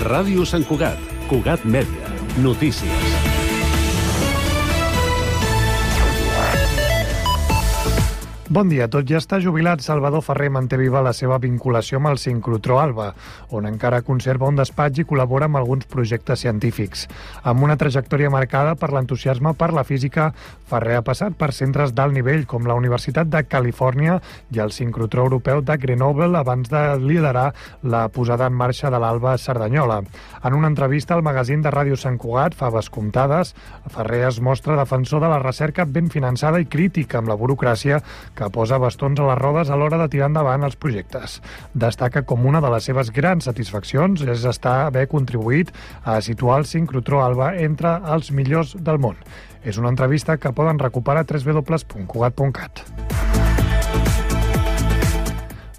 Ràdio Sant Cugat, Cugat Mèdia, notícies. Bon dia. Tot i estar jubilat, Salvador Ferrer manté viva la seva vinculació amb el sincrotró Alba, on encara conserva un despatx i col·labora amb alguns projectes científics. Amb una trajectòria marcada per l'entusiasme per la física, Ferrer ha passat per centres d'alt nivell com la Universitat de Califòrnia i el sincrotró europeu de Grenoble abans de liderar la posada en marxa de l'Alba Cerdanyola. En una entrevista al magazín de Ràdio Sant Cugat, Faves Comptades, Ferrer es mostra defensor de la recerca ben finançada i crítica amb la burocràcia que posa bastons a les rodes a l'hora de tirar endavant els projectes. Destaca com una de les seves grans satisfaccions és haver contribuït a situar el sincrotró Alba entre els millors del món. És una entrevista que poden recuperar a www.cugat.cat.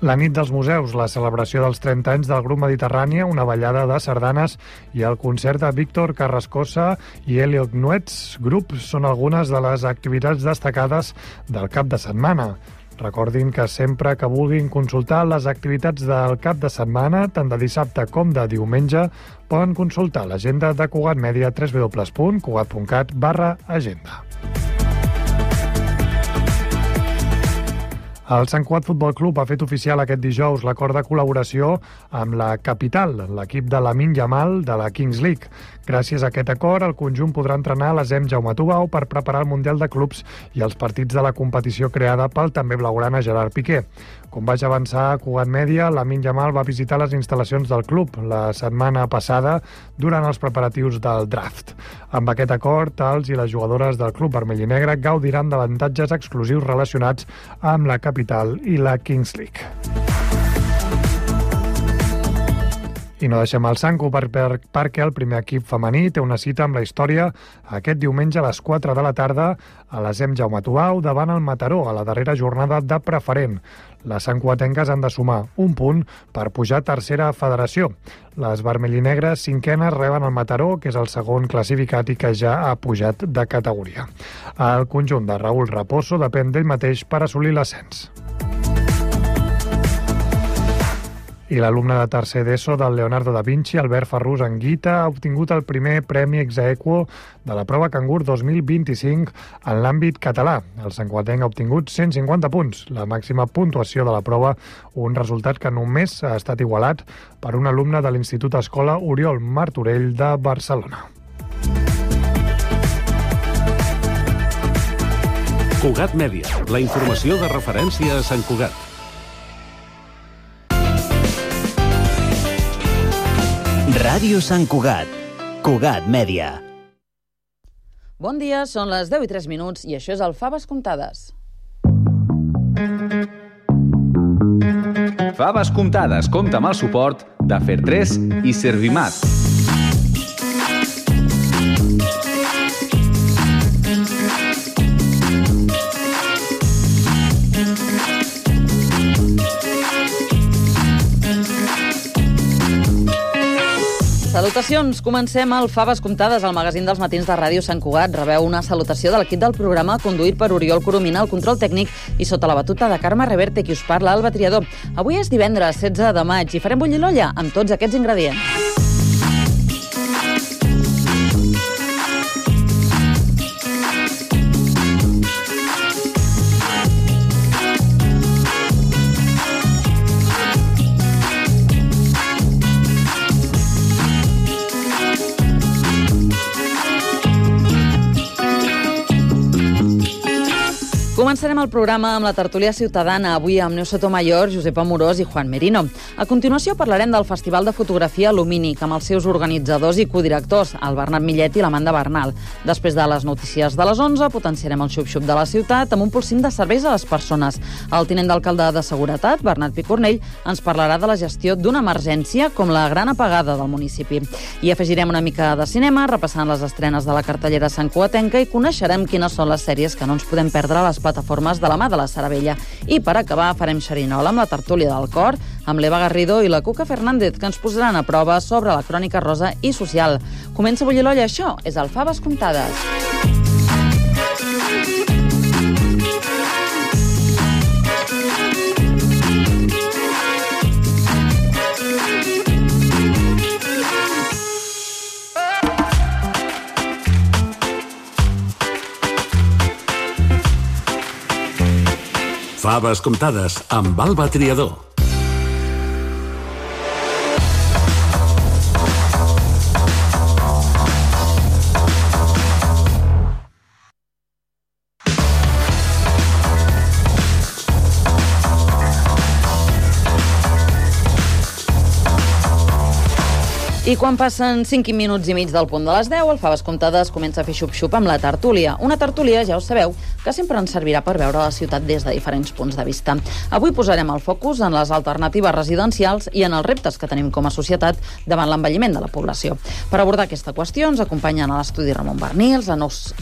La nit dels museus, la celebració dels 30 anys del grup Mediterrània, una ballada de sardanes i el concert de Víctor Carrascosa i Elliot Nuets Group són algunes de les activitats destacades del cap de setmana. Recordin que sempre que vulguin consultar les activitats del cap de setmana, tant de dissabte com de diumenge, poden consultar l'agenda de Cugat Mèdia a www.cugat.cat/agenda. El Sant Cugat Futbol Club ha fet oficial aquest dijous l'acord de col·laboració amb la Capital, l'equip de Lamine Yamal de la Kings League. Gràcies a aquest acord, el conjunt podrà entrenar a l'ESEM Jaume Tubau per preparar el Mundial de Clubs i els partits de la competició creada pel també blaugrana Gerard Piqué. Com vaig avançar a Cugat Mèdia, Lamine Yamal va visitar les instal·lacions del club la setmana passada durant els preparatius del draft. Amb aquest acord, els i les jugadores del club vermell i negre gaudiran d'avantatges exclusius relacionats amb la Capital i la Kings League. I no deixem el Sanco perquè el primer equip femení té una cita amb la història aquest diumenge a les 4 de la tarda a l'ESEM Jaume Tubau davant el Mataró a la darrera jornada de preferent. Les santcugatenques han de sumar un punt per pujar a tercera federació. Les vermellinegres cinquenes reben el Mataró, que és el segon classificat i que ja ha pujat de categoria. El conjunt de Raúl Raposo depèn d'ell mateix per assolir l'ascens. I l'alumne de tercer d'ESO del Leonardo da Vinci, Albert Ferrús Anguita, ha obtingut el primer premi ex aequo de la prova Cangur 2025 en l'àmbit català. El santcugatenc ha obtingut 150 punts, la màxima puntuació de la prova, un resultat que només ha estat igualat per un alumne de l'Institut Escola Oriol Martorell de Barcelona. Cugat Mèdia, la informació de referència a Sant Cugat. Ràdio Sant Cugat, Cugat Mèdia. Bon dia, són les 10:03 i això és el Faves Comptades. Faves Comptades compta amb el suport de Fer3 i Servimat. Salutacions, comencem el Faves Comptades, al magazín dels matins de Ràdio Sant Cugat. Rebeu una salutació de l'equip del programa conduït per Oriol Coromina, el control tècnic, i sota la batuta de Carme Reverte, qui us parla, Alba Triador. Avui és divendres 16 de maig i farem bullir l'olla amb tots aquests ingredients. Començarem el programa amb la tertúlia ciutadana, avui amb Neus Sotomayor, Josep Amorós i Juan Merino. A continuació parlarem del Festival de Fotografia Lumínic, amb els seus organitzadors i codirectors, el Bernat Millet i l'Amanda Bernal. Després de les notícies de les 11, potenciarem el xup-xup de la ciutat amb un pulsim de serveis a les persones. El tinent d'alcalde de Seguretat, Bernat Picornell, ens parlarà de la gestió d'una emergència com la gran apagada del municipi. I afegirem una mica de cinema, repassant les estrenes de la cartellera santcugatenca i coneixerem quines són les sèries que no ens podem perdre a les plataformes de la mà de la Saravella. I per acabar farem xerinola amb la tertúlia del cor, amb l'Eva Garrido i la Cuca Fernández, que ens posaran a prova sobre la crònica rosa i social. Comença a bullir l'olla, això és el Faves Comptades. Faves comptades amb Alba Triador. I quan passen 5 minuts i mig del punt de les 10, el Faves Comptades comença a fer xup-xup amb la tertúlia. Una tertúlia, ja ho sabeu, que sempre ens servirà per veure la ciutat des de diferents punts de vista. Avui posarem el focus en les alternatives residencials i en els reptes que tenim com a societat davant l'envelliment de la població. Per abordar aquesta qüestió ens acompanyen a l'estudi Ramon Bernils,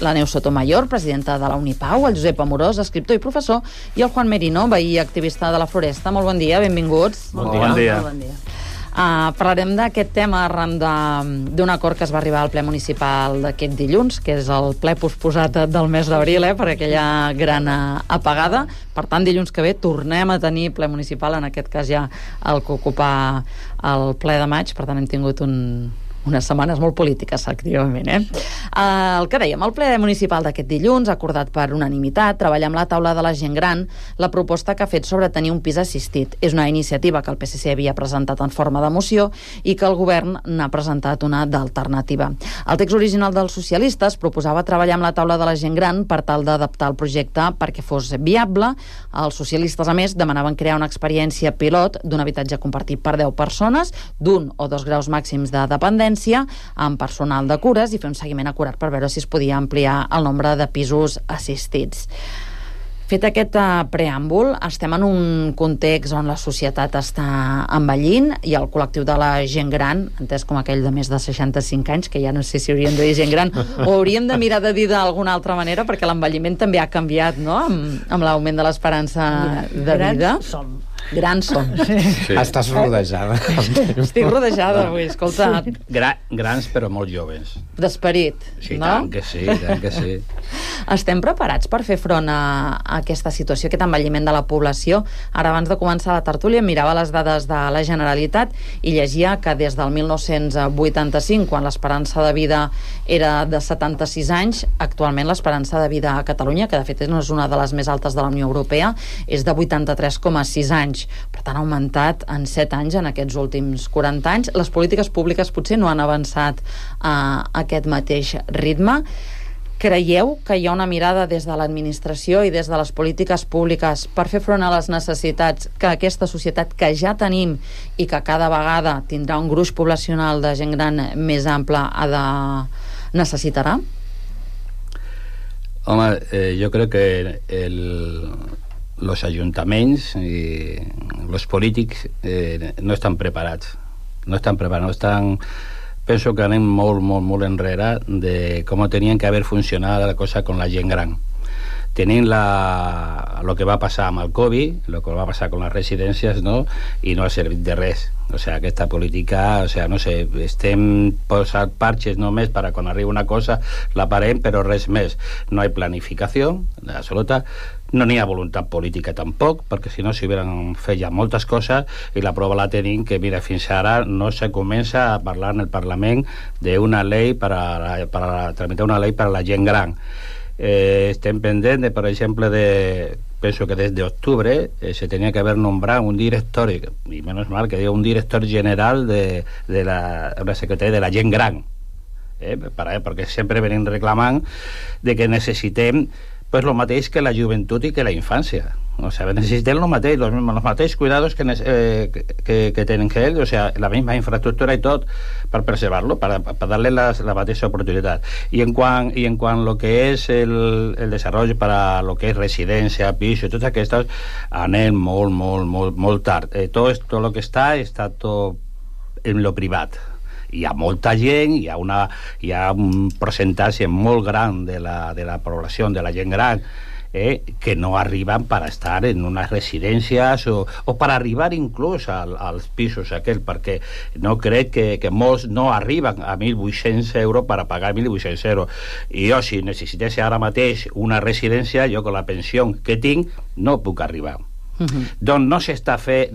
la Neus Sotomayor, presidenta de la Unipau, el Josep Amorós, escriptor i professor, i el Juan Merino, veí i activista de la Floresta. Molt bon dia, benvinguts. Bon dia. Parlarem d'aquest tema arran d'un acord que es va arribar al ple municipal d'aquest dilluns, que és el ple posposat del mes d'abril, per aquella gran apagada. Per tant, dilluns que ve tornem a tenir ple municipal, en aquest cas ja el que ocupa el ple de maig. Per tant, hem tingut unes setmanes molt polítiques, activament. El que dèiem, el ple municipal d'aquest dilluns ha acordat per unanimitat treballar amb la taula de la gent gran la proposta que ha fet sobre tenir un pis assistit. És una iniciativa que el PSC havia presentat en forma de moció i que el govern n'ha presentat una d'alternativa. El text original dels socialistes proposava treballar amb la taula de la gent gran per tal d'adaptar el projecte perquè fos viable. Els socialistes, a més, demanaven crear una experiència pilot d'un habitatge compartit per 10 persones, d'1 o 2 graus màxims de dependència, amb personal de cures, i fer un seguiment acurat per veure si es podia ampliar el nombre de pisos assistits. Fet aquest preàmbul, estem en un context on la societat està envellint i el col·lectiu de la gent gran, entès com aquell de més de 65 anys, que ja no sé si hauríem de dir gent gran o hauríem de mirar de dir d'alguna altra manera, perquè l'envelliment també ha canviat, no?, amb l'augment de l'esperança de vida. Grans som. Sí. Estàs rodejada. Estic rodejada avui, escolta. Grans però molt joves. D'esperit, sí, no? Tant que sí. Estem preparats per fer front a aquesta situació, aquest envelliment de la població? Ara, abans de començar la tertúlia, mirava les dades de la Generalitat i llegia que des del 1985, quan l'esperança de vida era de 76 anys, actualment l'esperança de vida a Catalunya, que de fet no és una de les més altes de la Unió Europea, és de 83,6 anys. Per tant, ha augmentat en 7 anys en aquests últims 40 anys. Les polítiques públiques potser no han avançat a aquest mateix ritme. Creieu que hi ha una mirada des de l'administració i des de les polítiques públiques per fer front a les necessitats que aquesta societat que ja tenim i que cada vegada tindrà un gruix poblacional de gent gran més ample necessitarà? Home, jo crec que los ayuntamientos y los polítics no estan preparats. Penso que anem molt enrere de com tenien que haver funcionat la cosa con la gent gran. Tenint lo que va passar amb el Covid, lo que va passar con les residències, no? I no ha servit de res. O sea, aquesta política, no sé, estem posant parches només per quan arriba una cosa, la parem, però res més. No hi ha planificació absoluta, no n'hi ha voluntat política tampoc, perquè si no s'hi hubieran fet ja moltes coses, i la prova la tenim que, mira, fins ara no se comença a parlar en el Parlament d'una llei per tramitar una llei per a la gent gran. Estem pendents de, per exemple, penso que des d'octubre se tenia que haver nombrat un director, i menys mal que diu un director general de la Secretaria de la gent gran, perquè sempre venim reclamant de que necessitem pues lo mateix que la joventut i que la infància. O sea, necessitem lo mateix, los mateixos cuidados que tenen que ells, o sea, la misma infraestructura y tot per preservar-lo, para darle la mateixa oportunitat. Y en cuanto lo que es el desarrollo para lo que es residencia, piso, totes aquestes, anem molt tard. Todo lo que está tot en lo privat. Hi ha molta gent, hi ha un percentatge molt gran de la població, de la gent gran, que no arriben per estar en unes residències o per arribar inclús als pisos aquells, perquè no crec que molts no arriben a 1.800 euros per pagar 1.800 euros. I jo, si necessités ara mateix una residència, jo con la pensió que tinc no puc arribar. Doncs no s'està fent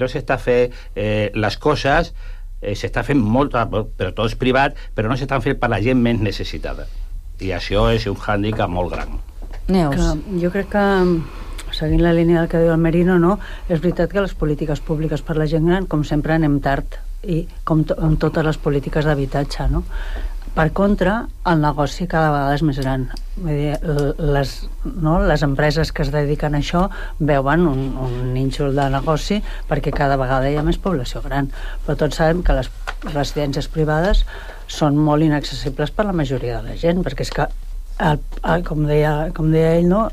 les coses, s'està fent molt, però tot és privat, però no s'estan fent per la gent més necessitada, i això és un hàndicap molt gran. Neus. Jo crec que seguint la línia del que diu el Merino, no, és veritat que les polítiques públiques per la gent gran, com sempre, anem tard, i com amb totes les polítiques d'habitatge, no? Per contra, el negoci cada vegada és més gran. Vull dir, les empreses que es dediquen a això veuen un nínxol de negoci perquè cada vegada hi ha més població gran. Però tots sabem que les residències privades són molt inaccessibles per la majoria de la gent, perquè és que, com deia ell, no,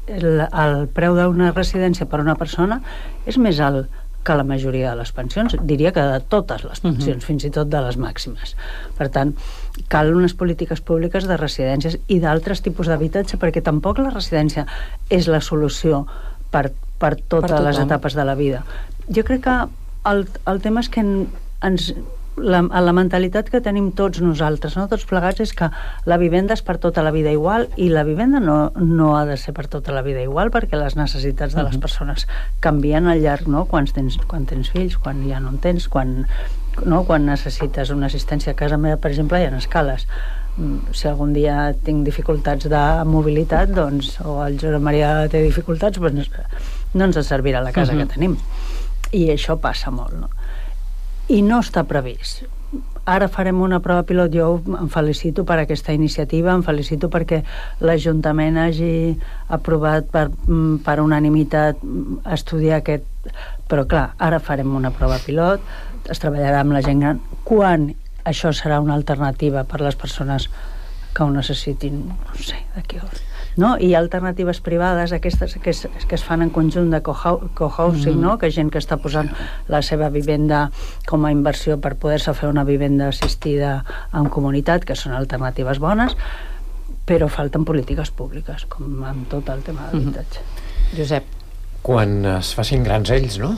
el preu d'una residència per una persona és més alt que la majoria de les pensions, diria que de totes les pensions, fins i tot de les màximes. Per tant, cal unes polítiques públiques de residències i d'altres tipus d'habitatge, perquè tampoc la residència és la solució per totes les etapes de la vida. Jo crec que el tema és que la mentalitat que tenim tots nosaltres, no tots plegats, és que la vivenda és per tota la vida igual, i la vivenda no ha de ser per tota la vida igual, perquè les necessitats de les persones canvien al llarg, no? Quan tens fills, quan ja no en tens, quan necessites una assistència a casa meva, per exemple, hi ha escales. Si algun dia tinc dificultats de mobilitat, doncs, o el Josep Maria té dificultats, doncs no ens servirà la casa que tenim. I això passa molt, no? I no està previst. Ara farem una prova pilot. Jo em felicito per aquesta iniciativa, em felicito perquè l'Ajuntament hagi aprovat per unanimitat estudiar aquest... Però clar, ara farem una prova pilot, es treballarà amb la gent gran, quan això serà una alternativa per les persones que ho necessitin, no sé, d'aquí no? I alternatives privades, aquestes que es fan en conjunt de cohousing, no? Que gent que està posant la seva vivenda com a inversió per poder-se fer una vivenda assistida en comunitat, que són alternatives bones, però falten polítiques públiques, com amb tot el tema d'habitatge. Josep. Quan es facin grans ells, no?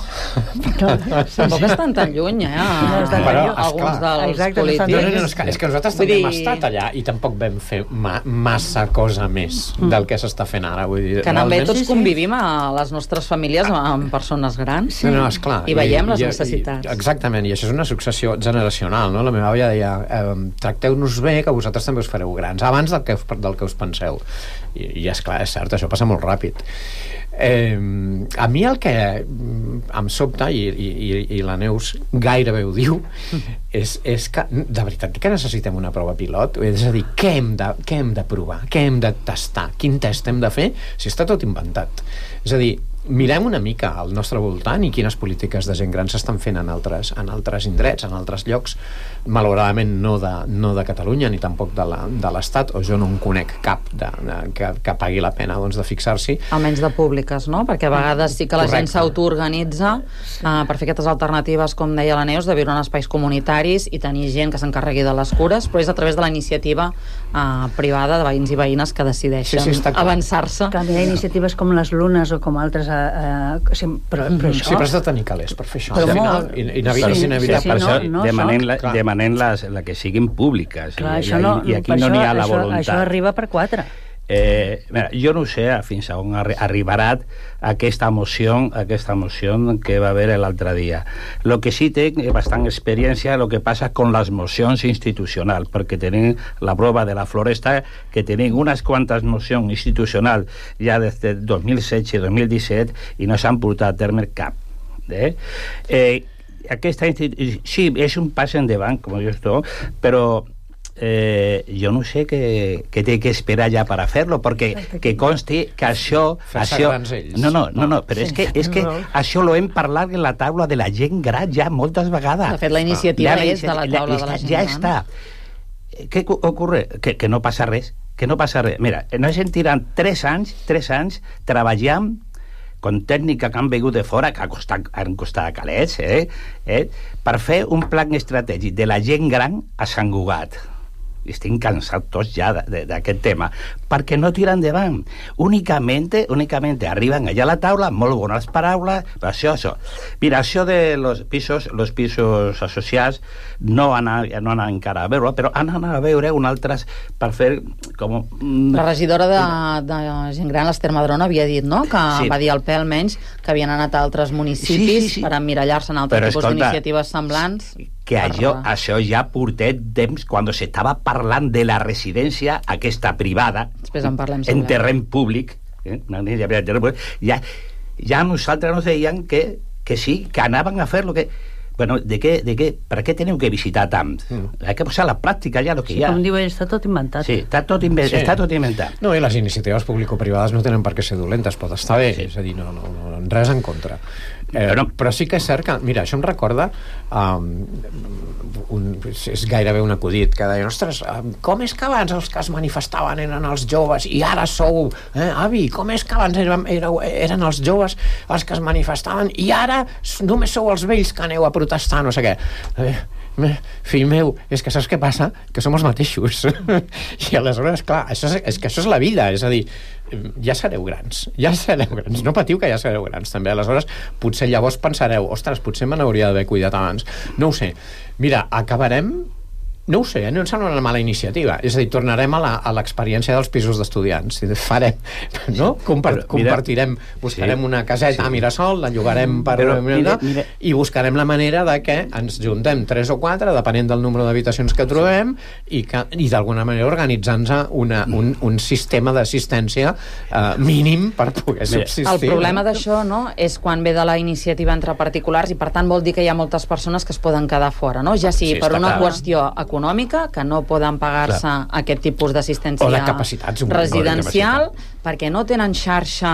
Tampoc estan tan lluny, alguns dels polítics. És que nosaltres també hem estat allà i tampoc vam fer massa cosa més del que s'està fent ara. Que també tots convivim a les nostres famílies amb persones grans i veiem les necessitats. Exactament, i això és una successió generacional, no? La meva àvia deia, tracteu-nos bé, que vosaltres també us fareu grans, abans del que us penseu. I esclar, és cert, això passa molt ràpid. A mi el que em sobta, i la Neus gairebé ho diu, és que de veritat que necessitem una prova pilot. És a dir, què hem de provar, què hem de tastar, quin test hem de fer, si està tot inventat. És a dir, mirem una mica al nostre voltant i quines polítiques de gent gran s'estan fent en altres indrets, en altres llocs, malauradament no de Catalunya ni tampoc de l'Estat, o jo no en conec cap que pagui la pena de fixar-s'hi. Almenys de públiques, no? Perquè a vegades sí que la gent s'autoorganitza per fer aquestes alternatives, com deia la Neus, de viure en espais comunitaris i tenir gent que s'encarregui de les cures, però és a través de la iniciativa privada de veïns i veïnes que decideixen avançar-se. També hi ha iniciatives com les Lunes o com altres però això... Sí, però has de tenir calés per fer això. És inevitable. Demanem la que siguin públiques. I aquí no n'hi ha la voluntat. Això arriba per 4. Jo no sé fins a on arribarà aquesta moció que va haver l'altre dia. Lo que sí té bastant experiència lo que passa con les mocions institucionals, perquè tenim la prova de la Floresta, que tenim unes quantes mocions institucionals ja des de 2016 i 2017 i no s'han portat a terme cap. Sí, és un pas endavant, com jo estoy, però jo no sé què té que esperar ja per a fer-lo, perquè que consti que això... No, però és que això lo hem parlat en la taula de la gent gran ja moltes vegades. De fet, la iniciativa és de la taula de la gent gran. Ja està. Què ocorre? Que no passa res. Mira, nos hem tirat 3 anys treballant con tècnica que han vingut de fora, que han costat calés, per fer un plan estratègic de la gent gran a Sant Cugat. Estem cansats tots ja d'aquest tema, perquè no tira endavant. Únicamente arriben allà a la taula, molt bones paraules, però això. Mira, això de los pisos associats no han anat encara a veure, però han anat a veure un altres per fer com... La regidora de gent gran, l'Ester Madrona, havia dit, no?, que va dir al PE almenys que havien anat a altres municipis per emmirallar-se en altres tipus d'iniciatives semblants. Que això ja portet temps quan s'estava parlant de la residència aquesta privada en terreny públic, ja nosaltres nos deien que sí, que anaven a fer lo que... Bueno, per què teniu que visitar tant? Hay que posar a la pràctica ja el que hi ha. Com diu ell, està tot inventat. Sí, està tot inventat. No, i les iniciatives publicoprivades no tenen per què ser dolentes, pot estar bé, és a dir, no, res en contra. Però sí que és cert que, mira, això em recorda és gairebé un acudit que deien, ostres, com és que abans els que es manifestaven eren els joves i ara sou, avi, com és que abans eren els joves els que es manifestaven i ara només sou els vells que aneu a protestar, no sé què. Fill meu, és que saps què passa? Que som els mateixos. I aleshores, clar, és que això és la vida, és a dir, ja sereu grans, no patiu que ja sereu grans també, aleshores potser llavors pensareu, ostres, potser me n'hauria d'haver cuidat abans, no ho sé. Mira, acabarem, no ho sé, no em sembla una mala iniciativa, és a dir, tornarem a l'experiència dels pisos d'estudiants, farem, no? Compartirem, buscarem una caseta a Mirasol, la llogarem i buscarem la manera de que ens juntem 3 o 4, depenent del número d'habitacions que trobem, i d'alguna manera organitzant-nos un sistema d'assistència mínim per poder subsistir. El problema d'això, no?, és quan ve de la iniciativa entre particulars, i per tant vol dir que hi ha moltes persones que es poden quedar fora, no? Ja sigui per una qüestió econòmica, que no poden pagar-se aquest tipus d'assistència residencial, perquè no tenen xarxa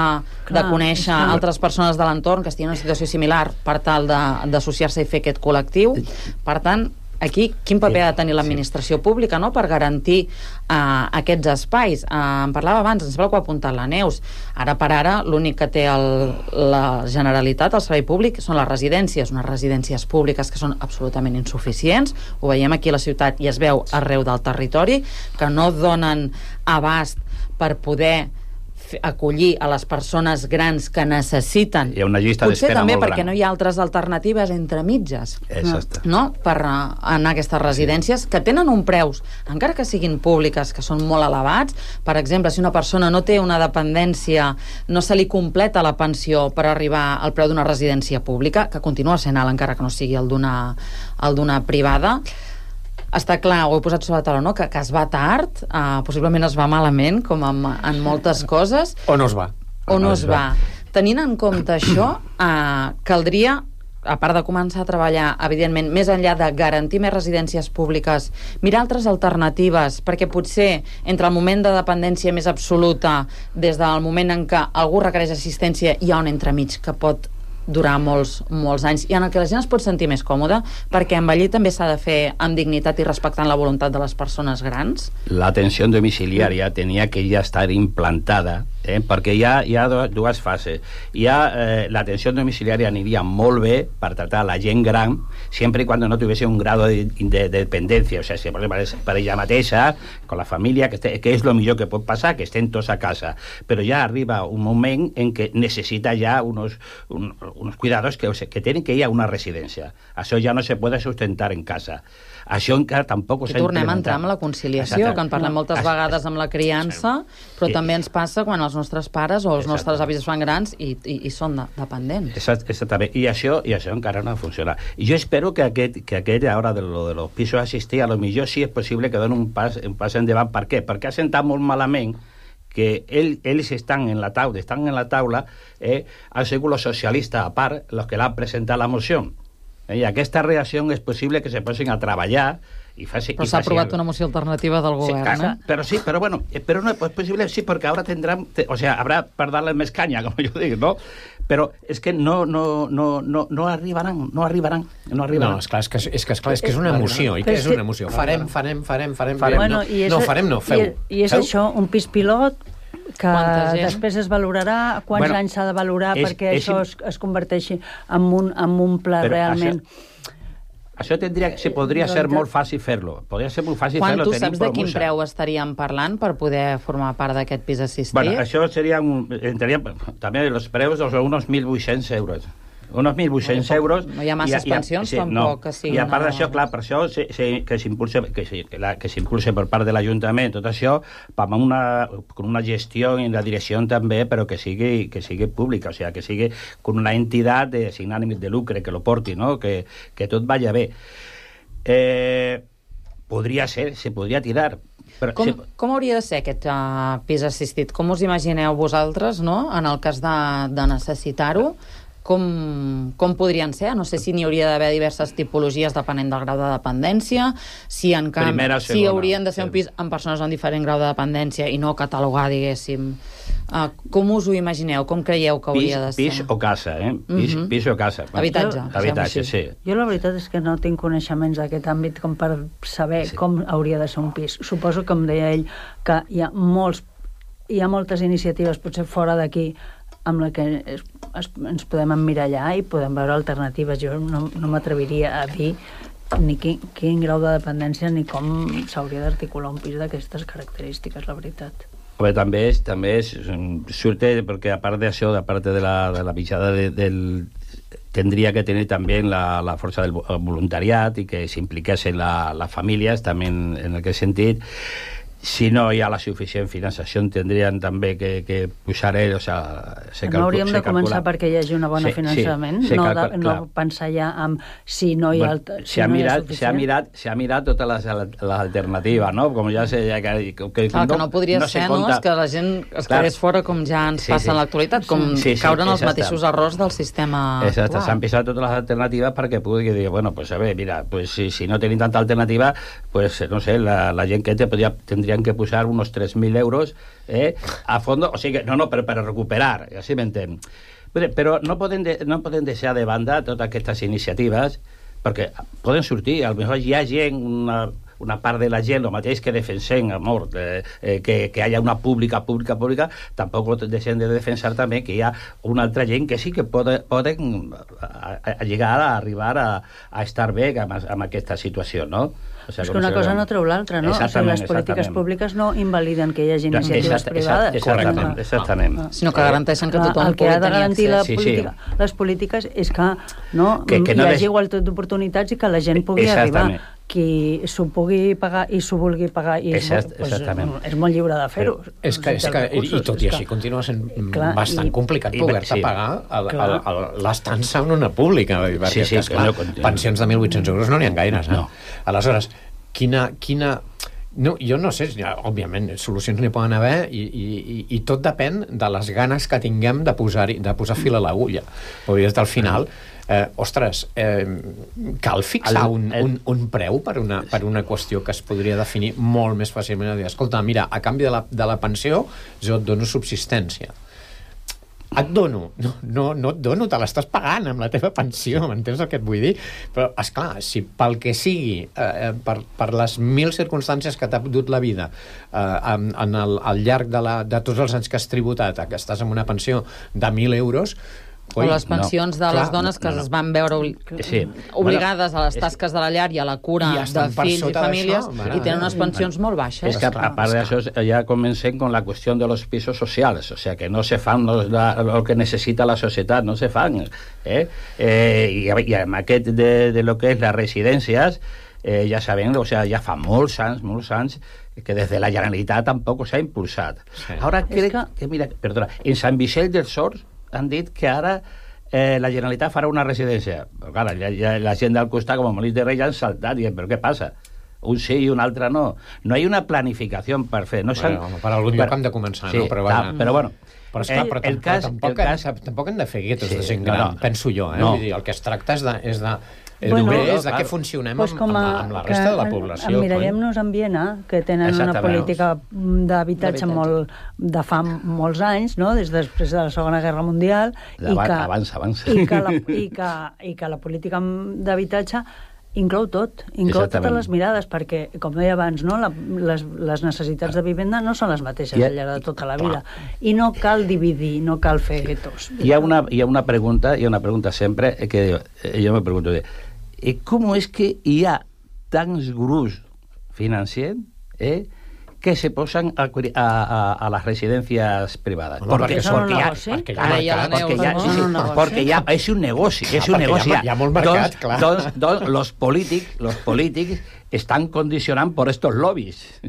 de conèixer altres persones de l'entorn que estiguin en una situació similar per tal d'associar-se i fer aquest col·lectiu. Per tant, aquí, quin paper ha de tenir l'administració pública, no?, per garantir aquests espais. En parlava abans, em sembla que ho ha apuntat la Neus. Ara per ara, l'únic que té la Generalitat, el servei públic, són les residències, unes residències públiques que són absolutament insuficients. Ho veiem aquí a la ciutat i es veu arreu del territori, que no donen abast per poder acollir a les persones grans que necessiten. Hi ha una llista d'espera molt gran. Potser també perquè no hi ha altres alternatives entre mitges, no? Per anar a aquestes residències que tenen un preus, encara que siguin públiques, que són molt elevats. Per exemple, si una persona no té una dependència, no se li completa la pensió per arribar al preu d'una residència pública, que continua sent alt encara que no sigui el d'una privada. Està clar, ho he posat sobre la taula, no?, que es va tard, possiblement es va malament, com en moltes coses. O no es va. O no es va. Tenint en compte això, caldria, a part de començar a treballar, evidentment, més enllà de garantir més residències públiques, mirar altres alternatives, perquè potser entre el moment de dependència més absoluta, des del moment en què algú requereix assistència, hi ha un entremig que pot durar molts anys, i en el que la gent es pot sentir més còmoda, perquè envellir també s'ha de fer amb dignitat i respectant la voluntat de les persones grans. L'atenció domiciliària tenia que ja estar implantada, perquè hi ha dues fases. L'atenció domiciliària aniria molt bé per tractar la gent gran, sempre i quan no tuviese un grado de dependència, o sigui, per ella mateixa, con la família, que és el millor que pot passar, que estén tots a casa. Però ja arriba un moment en què necessita ja unos cuidados que tienen que ir a una residència. Això ja no se puede sustentar en casa. Això encara tampoc s'ha implementat. Tornem a entrar amb la conciliació, que en parlem moltes vegades amb la criança, però també ens passa quan els nostres pares o els nostres avis es fan grans i són dependents. Exactament. I això encara no funciona. I jo espero que aquest ara de los pisos assistits, a lo millor sí és possible que donen un pas endavant. Per què? Perquè ha sentat molt malament que ells estan en la taula, han sigut los socialistes, a part, los que l'han presentat la moció. I aquesta reacció és possible que se posin a treballar i faci... Però s'ha aprovat una moció alternativa del govern, Però bueno, però no és possible, sí, perquè ara tindran... O sea, habrá per darle més canya, com jo dic, no? Però és que no arribaran. No, és que és una emoció. I què és una emoció? Farem. Bueno, feu. I és això, un pis pilot que després es valorarà, quants anys s'ha de valorar perquè això es converteixi en un pla realment... Això podria ser molt fàcil fer-lo. Podria ser molt fàcil fer-lo. Quan tu saps de quin preu estaríem parlant per poder formar part d'aquest pis assistit? Bueno, això entraríem també els preus d'uns 1.800 euros. Unos 1.800 euros. No hi ha masses pensions, tampoc que siguin... I a part d'això, clar, per això que s'impulse per part de l'Ajuntament, tot això, amb una gestió i la direcció també, però que sigui pública, o sigui, que sigui con una entitat sin ànim de lucre que lo porti, no? Que tot vaya bé. Se podria tirar, Com hauria de ser aquest pis assistit? Com us imagineu vosaltres, no?, en el cas de necessitar-ho? Com podrien ser? No sé si n'hi hauria d'haver diverses tipologies depenent del grau de dependència, si haurien de ser un pis amb persones amb diferent grau de dependència i no catalogar, diguéssim. Com us ho imagineu? Com creieu que hauria de ser? Pis o casa, Pis o casa. Habitatge, sí. Jo la veritat és que no tinc coneixements d'aquest àmbit com per saber com hauria de ser un pis. Suposo, com deia ell, que hi ha moltes iniciatives, potser fora d'aquí, amb la que ens podem emmirallar i podem veure alternatives. Jo no m'atreviria a dir ni quin grau de dependència ni com s'hauria d'articular un pis d'aquestes característiques, la veritat. Home, també surte, perquè a part d'això, a part de la mitjana tendría que tener también la fuerza del voluntariat i que s'impliquessin les famílies, també en aquest sentit. Si no hi ha la suficient finançació, tindrien també que posar o sigui... No hauríem de començar perquè hi hagi un bon finançament, no pensar ja en si no hi ha suficient. S'ha mirat totes les alternatives, no? Com ja sé... Que no podria ser, no?, que la gent es quedés fora, com ja ens passa en l'actualitat, com caure en els mateixos errors del sistema actual. Exacte, s'han pensat totes les alternatives perquè pugui dir, bueno, pues a ver, mira, pues si no tenim tanta alternativa, pues no sé, la gent que tendría que posar unos 3.000 euros a fondo, o sigui, per recuperar, així m'entén. Però no poden deixar de banda totes aquestes iniciatives, perquè poden sortir, potser hi ha gent, una part de la gent, el mateix que defensem, amor, que hi hagi una pública, tampoc deixem de defensar també que hi ha una altra gent que sí que poden arribar a estar bé amb aquesta situació, no? És que una cosa no treu l'altra, no? O sigui, les polítiques públiques no invaliden que hi hagi iniciatives privades. Exactament. Sinó que garanteixen que tothom pugui tenir accés. Les polítiques és que hi hagi igualtat d'oportunitats i que la gent pugui arribar. Qui s'ho pugui pagar i s'ho vulgui pagar és molt lliure de fer-ho. I tot i així continua sent bastant complicat poder-te pagar l'estança en una pública. Pensions de 1.800 euros no n'hi ha gaires. Aleshores, quina... No, jo no sé, òbviament, solucions n'hi poden haver i tot depèn de les ganes que tinguem de posar fil a l'agulla. Vull dir, al final, cal fixar un preu per una qüestió que es podria definir molt més fàcilment. Escolta, mira, a canvi de la pensió jo et dono subsistència. Et dono, no et dono, te l'estàs pagant amb la teva pensió, m'entens el que et vull dir? Però, esclar, si pel que sigui, per les 1.000 circumstàncies que t'ha dut la vida al llarg de tots els anys que has tributat, que estàs en una pensió de 1.000 euros, o les pensions de les dones que es van veure obligades a les tasques de la llar i a la cura de fills i famílies i tenen unes pensions molt baixes. És que a part d'això ja comencem con la qüestió de los pisos socials, o sea que no se fan lo que necessita la societat, no se fan. I amb aquest de lo que és les residències, ja sabem, o sea, ja fa molts anys que des de la Generalitat tampoc s'ha impulsat. Ara crec que, mira, perdona, en Sant Vicent dels Horts han dit que ara la Generalitat farà una residència. Però clar, la gent del costat, com a Molins de Rei, ja han saltat, dient, però què passa? Un sí i un altre no. No hi ha una planificació per fer. Per algun lloc hem de començar, no? Però bueno... Però tampoc hem de fer guetos de gent gran, penso jo. Vull dir, el que es tracta és de què funcionem amb la resta de la població. Emmirallem-nos en Viena, que tenen una política d'habitatge de fa molts anys, des després de la Segona Guerra Mundial, i que la política d'habitatge inclou totes les mirades, perquè, com deia abans, les necessitats de vivenda no són les mateixes al llarg de tota la vida, i no cal dividir, no cal fer guetos. Hi ha una pregunta sempre que jo me pregunto, ¿cómo es que hi ha tants grups financers que se posan a las residencias privadas? Porque ya es un negocio, Hi ha molt mercat, clar. Los polítics están condicionant por estos lobbies.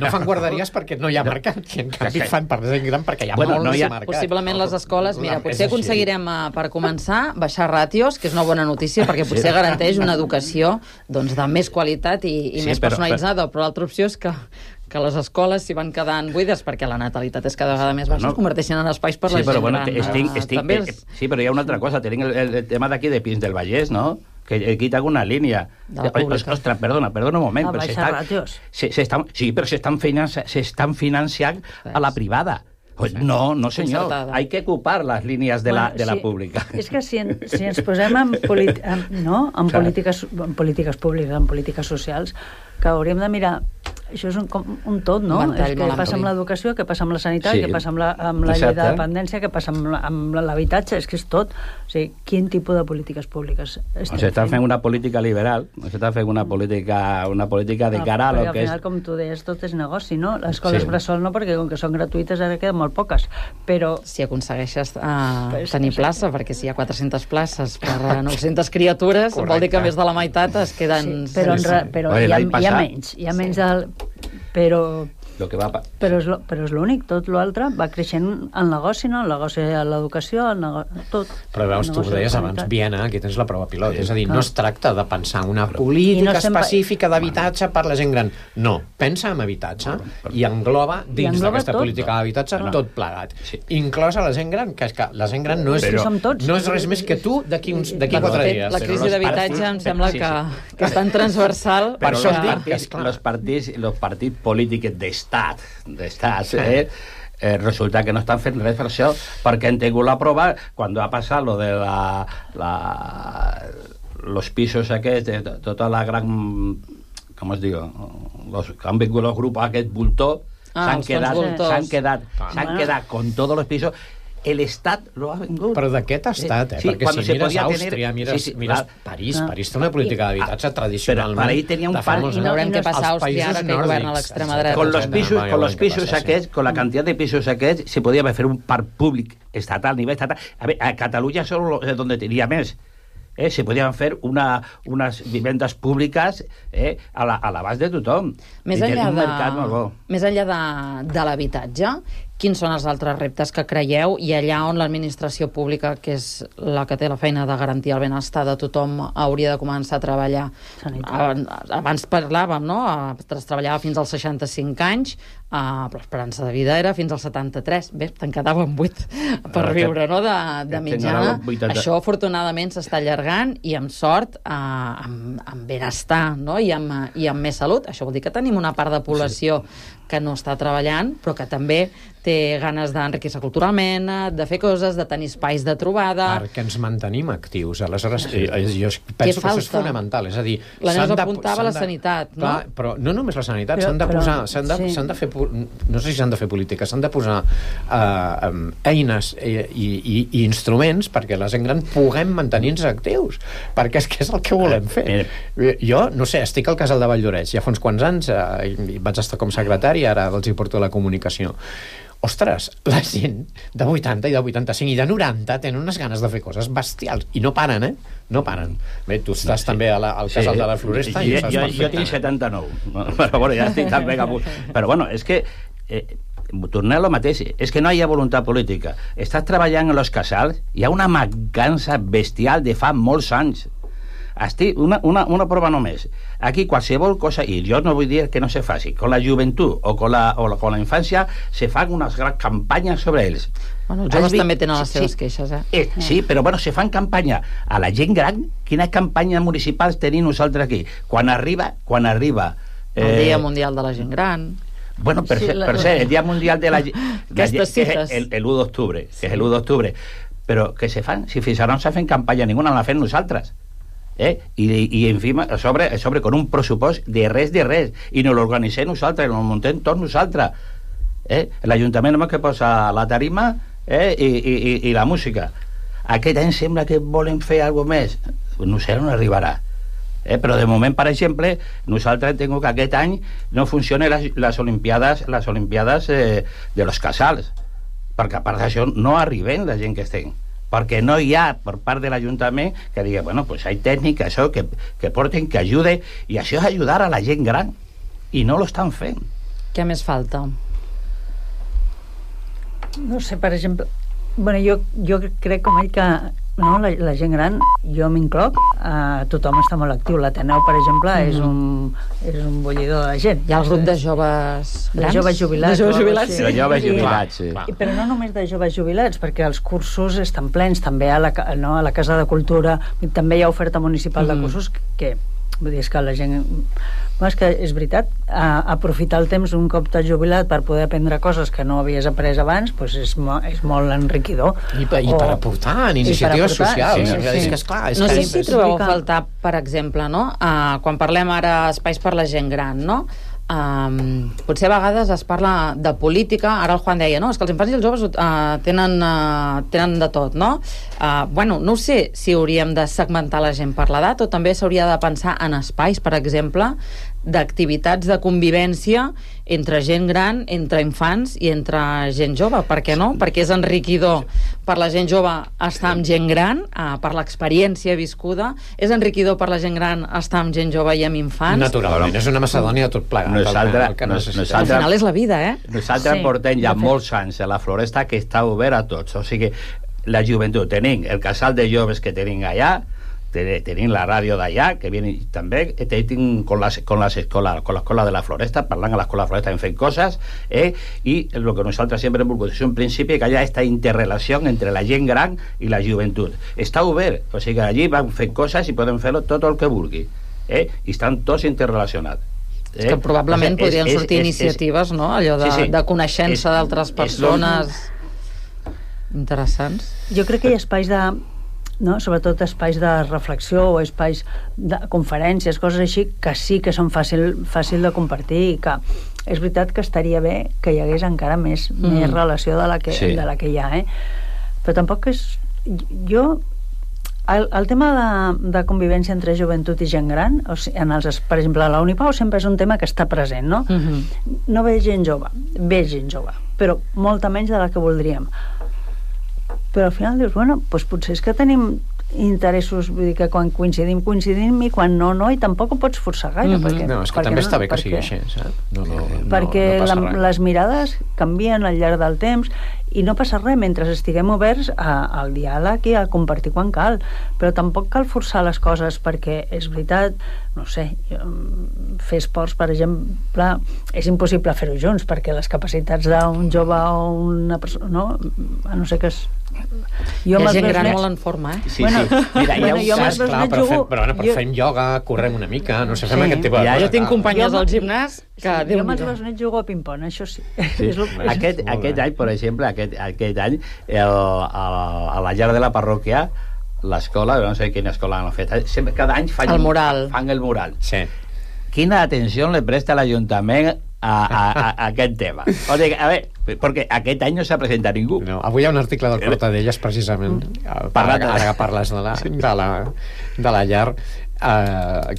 no fan guarderies perquè no hi ha mercat, i en canvi fan per gent gran perquè hi ha molt més mercat. Possiblement les escoles, mira, potser aconseguirem, per començar, baixar ràtios, que és una bona notícia, perquè potser garanteix una educació doncs, de més qualitat i més personalitzada, però l'altra opció és que les escoles s'hi van quedant buides perquè la natalitat és cada vegada més baixa, es converteixen en espais per la gent gran. Sí, però hi ha una altra cosa. Tenim el tema d'aquí de Pins del Vallès, no? Que aquí tengo una línea. Ostras, perdona un moment. Sí, però s'estan financiant a la privada. No, señor. Hay que ocupar las líneas de la pública. És que si ens posem en polítiques públiques, en polítiques socials, que hauríem de mirar. Això és un tot, no? És què passa amb l'educació, què passa amb la sanitat, què passa amb la llei de dependència, què passa amb l'habitatge, és que és tot. O sigui, quin tipus de polítiques públiques estem fent? S'està fent una política liberal, s'està fent una política de cara a lo que és... Al final, com tu deies, tot és negoci, no? Les escoles bressol no, perquè com que són gratuïtes ara queden molt poques, però... Si aconsegueixes tenir plaça, perquè si hi ha 400 places per 900 criatures, vol dir que més de la meitat es queden... Però hi ha menys del... Però és l'únic, tot l'altre va creixent el negoci, no? El negoci de l'educació, tot. Però veus, tu ho deies abans, Viena, aquí tens la prova pilot, és a dir, no es tracta de pensar una política específica d'habitatge per la gent gran, no, pensa en habitatge i engloba dins d'aquesta política d'habitatge tot plegat, inclosa la gent gran, que és que la gent gran no és res més que tu d'aquí 4 dies. La crisi d'habitatge em sembla que és tan transversal. Per això dic que els partits polítics d'estat, resulta que no estan fent res per això, perquè han tingut la prova quan ha passat lo de los pisos aquests, tota la gran, com es diu, han vingut els grups aquest voltor, s'han quedat con tots els pisos. El Estat lo ha vengut. Però d'aquest estat, perquè si mires Àustria, mires París té una política d'habitatge tradicionalment. Però ahí tenia un parc. I veurem què passa a Àustria ara que governa l'extrema dreta. Con los pisos aquests, con la cantidad de pisos aquests, se podía hacer un parc públic estatal, a nivell estatal. A ver, a Cataluña solo es donde tenía més. Se podien fer unes vivendes públiques a l'abast de tothom. Més enllà de l'habitatge, quins són els altres reptes que creieu i allà on l'administració pública, que és la que té la feina de garantir el benestar de tothom, hauria de començar a treballar? Abans parlàvem, no? Es treballava fins als 65 anys, però l'esperança de vida era fins als 73. Bé, te'n quedaven 8 per viure, no?, de mitjana. Això, afortunadament, s'està allargant i amb sort, amb benestar, no?, i amb més salut. Això vol dir que tenim una part de població que no està treballant, però que també té ganes d'enriquir-se culturalment, de fer coses, de tenir espais de trobada... Perquè ens mantenim actius. Aleshores, jo penso que això és fonamental. És a dir, la Neus apuntava la sanitat, no? Però no només la sanitat, s'han de posar... S'han de fer... No sé si s'han de fer polítiques, s'han de posar eines i instruments perquè la gent gran puguem mantenir-nos actius. Perquè és que és el que volem fer. Jo, no sé, estic al casal de Valldoreix, ja fa uns quants anys vaig estar com secretari, ara els hi porto la comunicació. Ostres, la gent de 80 i de 85 i de 90 tenen unes ganes de fer coses bestials i no paren, no paren. Bé, tu estàs també al casal de la Floresta i jo tinc 79, però bueno, ja estic també capunt. Però bueno, és que tornem a lo mateix, és que no hi ha voluntat política. Estàs treballant en els casals, hi ha una mancança bestial de fa molts anys. Una prova només. Aquí qualsevol cosa, i jo no vull dir que no se faci, con la joventut o con la infància se fan unes grans campanyes sobre ells. Bueno, els joves també tenen les seves queixes, Sí, però bueno, se fan campanya a la gent gran. Quines campanyes municipals tenim nosaltres aquí? Quan arriba el Dia Mundial de la Gent Gran. Bueno, per ser el Dia Mundial de la gent el 1 d'octubre, que és el 1 d'octubre, però que se fan, si fins ara no s'ha fet campanya ninguna, la fem nosaltres. I encima a sobre con un pressupost de res i no l'organitzem nosaltres, no muntem tots nosaltres. L'Ajuntament només que posa la tarima i la música. Aquest any sembla que volen fer alguna més, no sé on arribarà. Però de moment, per exemple, nosaltres tenim que aquest any no funcionen les olimpiades de los casals, perquè a part d'això no arriben la gent que estem, perquè no hi ha per part de l'Ajuntament que digui, bueno, pues hay tècnica, això, que porten, que ajude, i això és ajudar a la gent gran, i no lo estan fent. Què més falta? No sé, per exemple... Bueno, jo crec com ell que no, la gent gran, jo m'incloc, tothom està molt actiu. L'Ateneu, per exemple, és un bullidor de gent. Hi ha el grup de joves grans? De joves jubilats. De joves jubilats, sí. De joves jubilats, sí. Però no només de joves jubilats, perquè els cursos estan plens, també a la Casa de Cultura, també hi ha oferta municipal de cursos que... Vull dir, és que la gent... Bueno, és que és veritat, aprofitar el temps un cop t'has jubilat per poder aprendre coses que no havies après abans, doncs és molt enriquidor. I per aportar en iniciatives socials. Sí. És que, esclar, no sé si trobeu a faltar, per exemple, no? Quan parlem ara espais per la gent gran, no? Potser a vegades es parla de política. Ara el Juan deia, no, és que els infants i els joves tenen de tot, no? Bueno, no sé si hauríem de segmentar la gent per l'edat o també s'hauria de pensar en espais, per exemple, d'activitats de convivència entre gent gran, entre infants i entre gent jove. Per què no? Perquè és enriquidor per la gent jove estar amb gent gran, per l'experiència viscuda. És enriquidor per la gent gran estar amb gent jove i amb infants. Naturalment, és una macedònia tot plegat. Al final és la vida, Nosaltres portem ja molts anys a la Floresta que està obert a tots. O sigui, la joventut, tenim el casal de joves que tenim allà, tenim la ràdio d'allà, que viene també, tenim con l'escola de la Floresta, parlant a l'escola de la Floresta, hem fet coses, i el que nosaltres sempre hem volgut és un principi que hi ha aquesta interrelació entre la gent gran i la joventut. Està obert, o sigui que allí van fer coses i poden fer tot el que vulgui, i estan tots interrelacionats. És que probablement podrien sortir iniciatives, no? Allò de coneixença d'altres persones interessants. Jo crec que hi ha espais de... No? Sobretot espais de reflexió o espais de conferències, coses així, que sí que són fàcil de compartir i que és veritat que estaria bé que hi hagués encara més relació de la que hi ha, Però tampoc és... Jo... El tema de convivència entre joventut i gent gran, o sigui, per exemple, a la Unipau sempre és un tema que està present, no? No ve gent jove, però molta menys de la que voldríem. Però al final dius, bueno, doncs potser és que tenim interessos, vull dir que quan coincidim i quan no, i tampoc ho pots forçar gaire. No, és que també està bé que sigui així, saps? Perquè les mirades canvien al llarg del temps i no passa res mentre estiguem oberts al diàleg i a compartir quan cal, però tampoc cal forçar les coses perquè és veritat, no sé, fer esports, per exemple, és impossible fer-ho junts perquè les capacitats d'un jove o una persona, a no sé que és... Hi ha gent gran molt en forma, Sí, sí. Mira, hi ha un cas, clar, però fem ioga, correm una mica, no sé, fem aquest tipus de coses. Jo tinc companyes al gimnàs que... Jo amb els besnets jugo a ping-pong, això sí. Aquest any, per exemple, aquest any, a la llar de la parròquia, l'escola, no sé quina escola han fet, cada any fan el mural. Sí. Quina atenció le presta l'Ajuntament a aquest tema? O sigui, a veure, perquè aquest any no s'ha presentat ningú. No, avui hi ha un article del Portadelles, precisament, ara que parles de la llar,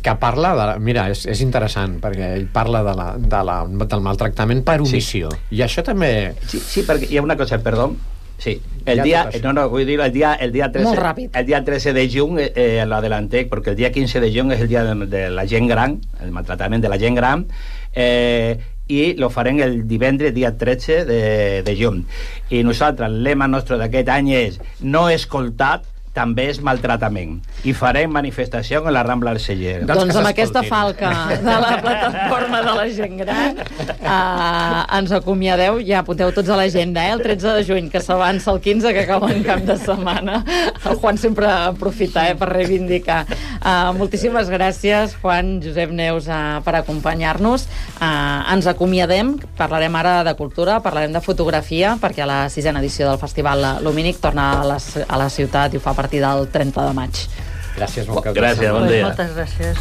que parla de... Mira, és interessant, perquè ell parla del maltractament per omissió. Sí. I això també... Sí, perquè hi ha una cosa, perdó. Sí, el dia 13 de juny l'adelantec, perquè el dia 15 de juny és el dia de la gent gran, el maltratament de la gent gran, i lo farem el divendres dia 13 de juny. I nosaltres, el lema nostre d'aquest any és no escoltat, també és maltratament. I farem manifestació en la Rambla del Celler. Doncs amb aquesta falca de la plataforma de la gent gran ens acomiadeu, ja apunteu tots a l'agenda, el 13 de juny, que s'avança el 15, que acaba en cap de setmana. El Juan sempre aprofita per reivindicar. Moltíssimes gràcies, Juan, Josep Neus, per acompanyar-nos. Ens acomiadem, parlarem ara de cultura, parlarem de fotografia, perquè la 6a edició del Festival Lumínic torna a la ciutat i ho fa a partir del 30 de maig. Gràcies, bon cap. Gràcies, bon dia. Moltes gràcies.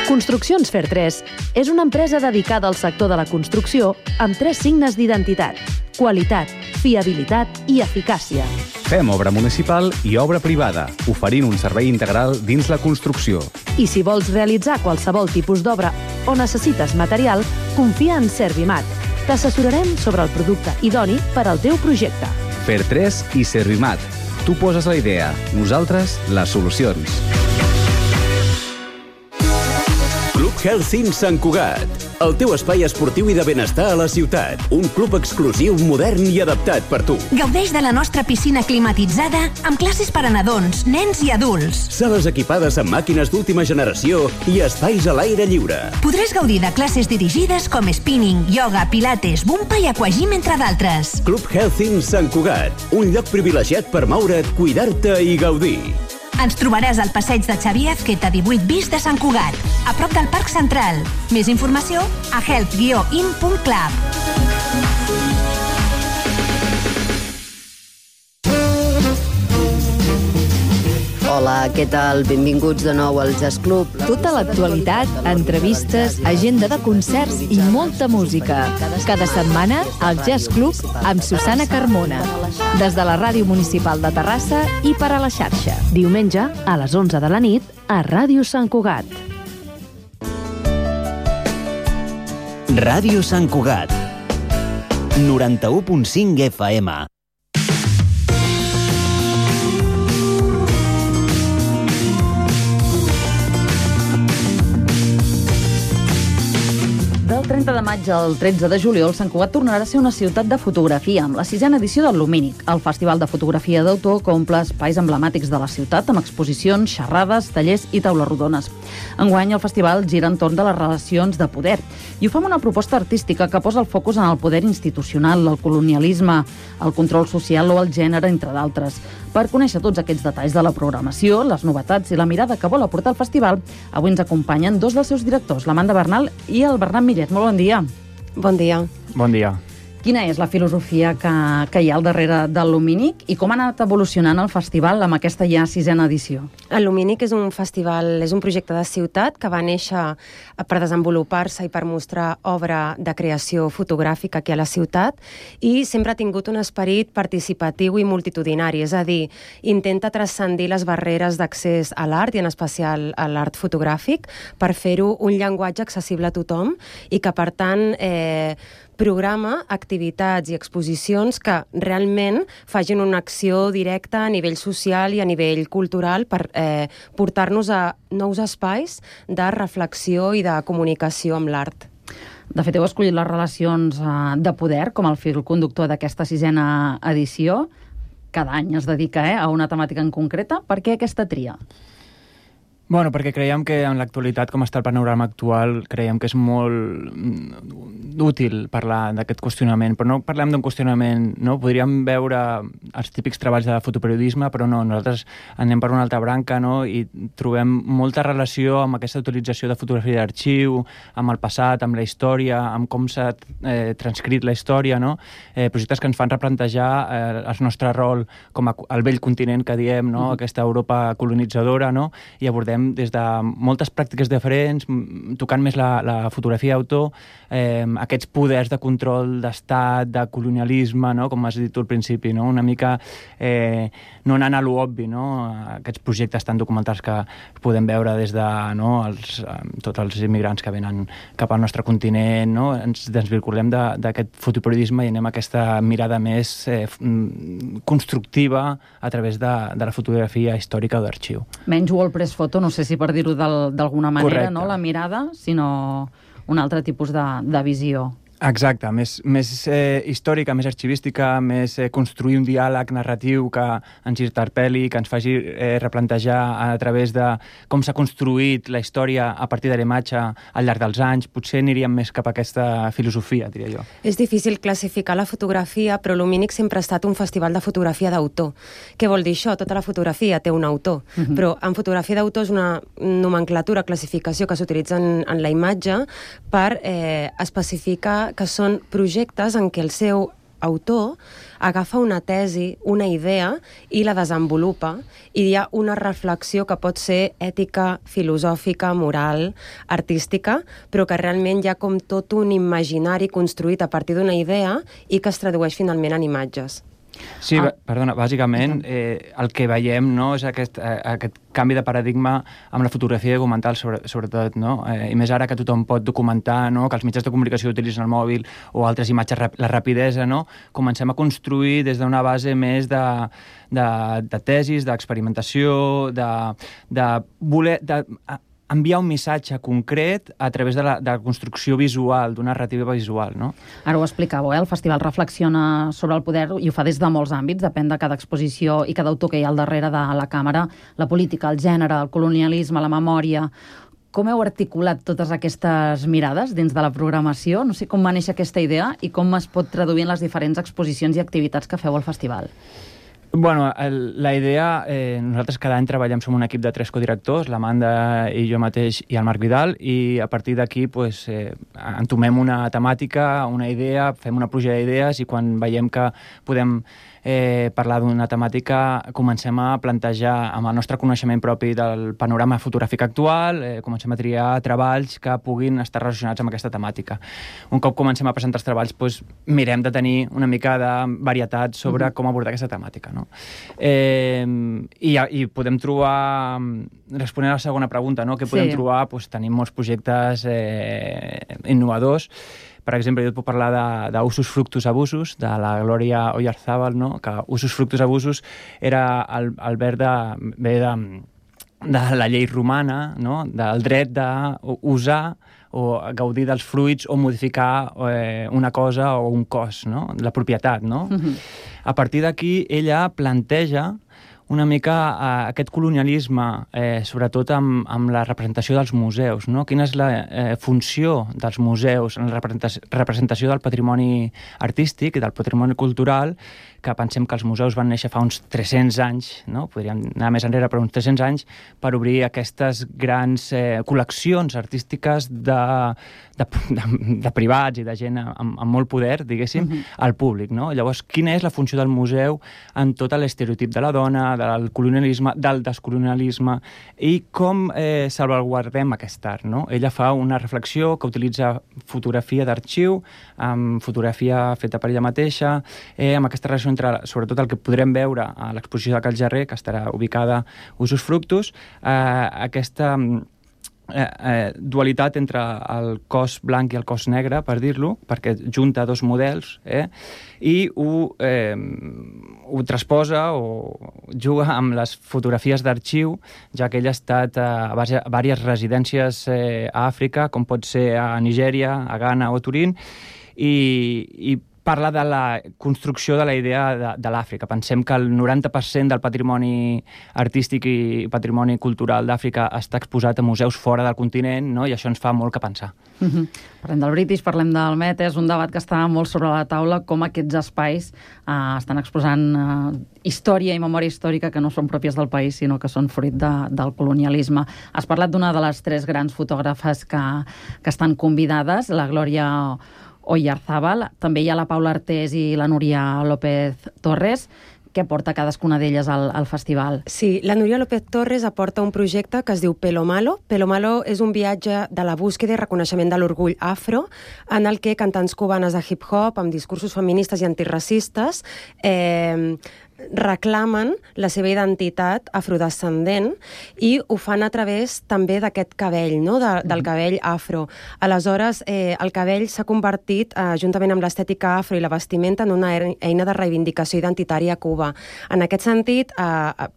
Construccions Fer 3 és una empresa dedicada al sector de la construcció amb 3 signes d'identitat: qualitat, fiabilitat i eficàcia. Fem obra municipal i obra privada, oferint un servei integral dins la construcció. I si vols realitzar qualsevol tipus d'obra o necessites material, confia en Servimat. T'assessorarem sobre el producte idoni per al teu projecte. Fer 3 i Servimat. Tu poses la idea, nosaltres les solucions. Health Sant Cugat, el teu espai esportiu i de benestar a la ciutat. Un club exclusiu, modern i adaptat per tu. Gaudeix de la nostra piscina climatitzada amb classes per a nadons, nens i adults. Sales equipades amb màquines d'última generació i espais a l'aire lliure. Podràs gaudir de classes dirigides com spinning, yoga, pilates, bumpa i aquagym, entre d'altres. Club Health Sant Cugat, un lloc privilegiat per moure't, cuidar-te i gaudir. Ens trobaràs al passeig de Xavier Azqueta 18 bis de Sant Cugat, a prop del Parc Central. Més informació a health-in.club. Hola, què tal? Benvinguts de nou al Jazz Club. Tota l'actualitat, entrevistes, agenda de concerts i molta música. Cada setmana, al Jazz Club amb Susana Carmona. Des de la Ràdio Municipal de Terrassa i per a la xarxa. Diumenge, a les 11 de la nit, a Ràdio Sant Cugat. Ràdio Sant Cugat, 91.5 FM. Del 30 de maig al 13 de juliol, Sant Cugat tornarà a ser una ciutat de fotografia, amb la 6ª edició del Lumínic. El Festival de Fotografia d'Autor que omple espais emblemàtics de la ciutat amb exposicions, xerrades, tallers i taules rodones. Enguany, el festival gira entorn de les relacions de poder i ho fa amb una proposta artística que posa el focus en el poder institucional, el colonialisme, el control social o el gènere, entre d'altres. Per conèixer tots aquests detalls de la programació, les novetats i la mirada que vol aportar el festival, avui ens acompanyen dos dels seus directors, l'Amanda Bernal i el Bernat Millet. Molt bon dia. Bon dia. Bon dia. Quina és la filosofia que hi ha al darrere del Lumínic i com ha anat evolucionant el festival amb aquesta ja 6ª edició? El Lumínic és un festival, és un projecte de ciutat que va néixer per desenvolupar-se i per mostrar obra de creació fotogràfica aquí a la ciutat i sempre ha tingut un esperit participatiu i multitudinari, és a dir, intenta transcendir les barreres d'accés a l'art i en especial a l'art fotogràfic per fer-ho un llenguatge accessible a tothom i que, per tant, programa activitats i exposicions que realment facin una acció directa a nivell social i a nivell cultural per portar-nos a nous espais de reflexió i de comunicació amb l'art. De fet, heu escollit les relacions de poder com el fil conductor d'aquesta 6ª edició. Cada any es dedica a una temàtica en concreta. Per què aquesta tria? Bueno, perquè creiem que en l'actualitat, com està el panorama actual, creiem que és molt útil parlar d'aquest qüestionament, però no parlem d'un qüestionament, no? Podríem veure els típics treballs de fotoperiodisme, però no, nosaltres anem per una altra branca, no? I trobem molta relació amb aquesta utilització de fotografia d'arxiu, amb el passat, amb la història, amb com s'ha transcrit la història, no? Projectes que ens fan replantejar el nostre rol com el vell continent que diem, no? Aquesta Europa colonitzadora, no? I abordem des de moltes pràctiques diferents, tocant més la fotografia d'autor, aquests poders de control d'estat, de colonialisme, no? Com has dit tu al principi, no? Una mica no anant a l'obvi, no? Aquests projectes tan documentals que podem veure des de tots els immigrants que venen cap al nostre continent, no? Ens desvinculem d'aquest fotoperiodisme i anem a aquesta mirada més constructiva a través de la fotografia històrica o d'arxiu. Menys WordPress Photo, no sé si per dir-ho d'alguna manera, no? La mirada, sinó un altre tipus de visió. Exacte, més històrica, més arxivística, més construir un diàleg narratiu que ens interpel·li, que ens faci replantejar a través de com s'ha construït la història a partir de la imatge al llarg dels anys. Potser aniríem més cap a aquesta filosofia, diria jo. És difícil classificar la fotografia, però Lumínic sempre ha estat un festival de fotografia d'autor. Què vol dir això? Tota la fotografia té un autor, però en fotografia d'autor és una nomenclatura, classificació que s'utilitza en la imatge per especificar que són projectes en què el seu autor agafa una tesi, una idea i la desenvolupa i hi ha una reflexió que pot ser ètica, filosòfica, moral, artística, però que realment hi ha com tot un imaginari construït a partir d'una idea i que es tradueix finalment en imatges. Sí, perdona, bàsicament el que veiem, no, és aquest canvi de paradigma amb la fotografia documental, sobretot, no? I més ara que tothom pot documentar, no? Que els mitjans de comunicació utilitzen el mòbil o altres imatges, la rapidesa, no? Comencem a construir des d'una base més de tesis, d'experimentació, de voler enviar un missatge concret a través de la construcció visual, d'una narrativa visual, no? Ara ho explicàveu, el festival reflexiona sobre el poder i ho fa des de molts àmbits, depèn de cada exposició i cada autor que hi ha al darrere de la càmera, la política, el gènere, el colonialisme, la memòria. Com heu articulat totes aquestes mirades dins de la programació? No sé com va néixer aquesta idea i com es pot traduir en les diferents exposicions i activitats que feu al festival. Bueno, la idea, nosaltres cada any treballem, som un equip de 3 codirectors, l'Amanda i jo mateix i el Marc Vidal, i a partir d'aquí entomem una temàtica, una idea, fem una pluja d'idees i quan veiem que podem parlar d'una temàtica comencem a plantejar amb el nostre coneixement propi del panorama fotogràfic actual, comencem a triar treballs que puguin estar relacionats amb aquesta temàtica. Un cop comencem a presentar els treballs, mirem de tenir una mica de varietat sobre com abordar aquesta temàtica, no? I podem trobar, responent a la segona pregunta, no? Què podem trobar? Tenim molts projectes innovadors. Per exemple, jo et puc parlar d'Usus Fructus Abusus, de la Glòria Oyarzábal, no? Que Usus Fructus Abusus era el verb de la llei romana, no? Del dret d'usar o gaudir dels fruits o modificar una cosa o un cos, no? La propietat, no? A partir d'aquí, ella planteja una mica aquest colonialisme, sobretot amb la representació dels museus, no? Quina és la funció dels museus en la representació del patrimoni artístic i del patrimoni cultural, que pensem que els museus van néixer fa uns 300 anys, no? Podríem anar més enrere, però uns 300 anys, per obrir aquestes grans col·leccions artístiques de privats i de gent amb molt poder, diguéssim, al públic, no? Llavors, quina és la funció del museu en tot l'estereotip de la dona, del colonialisme, del descolonialisme, i com salvaguardem aquest art, no? Ella fa una reflexió que utilitza fotografia d'arxiu, amb fotografia feta per ella mateixa, amb aquesta relació entre, sobretot el que podrem veure a l'exposició de Cal Jarrer, que estarà ubicada Usus Fructus, aquesta dualitat entre el cos blanc i el cos negre, per dir-lo, perquè junta dos models, i ho transposa o juga amb les fotografies d'arxiu, ja que ell ha estat a diverses residències a Àfrica, com pot ser a Nigèria, a Ghana o a Turín, i parla de la construcció de la idea de l'Àfrica. Pensem que el 90% del patrimoni artístic i patrimoni cultural d'Àfrica està exposat a museus fora del continent, no? I això ens fa molt que pensar. Parlem del British, parlem del Met, és un debat que està molt sobre la taula, com aquests espais estan exposant història i memòria històrica que no són pròpies del país, sinó que són fruit del colonialisme. Has parlat d'una de les 3 grans fotògrafes que estan convidades, la Glòria Oyarzábal, també hi ha la Paula Artés i la Núria López Torres. Què porta cadascuna d'elles al festival? Sí, la Núria López Torres aporta un projecte que es diu Pelo Malo. Pelo Malo és un viatge de la búsqueda i reconeixement de l'orgull afro, en el que cantants cubanes de hip-hop, amb discursos feministes i antiracistes, reclamen la seva identitat afrodescendent i ho fan a través també d'aquest cabell, no? Del cabell afro. Aleshores, el cabell s'ha convertit, juntament amb l'estètica afro i la vestimenta, en una eina de reivindicació identitària a Cuba. En aquest sentit,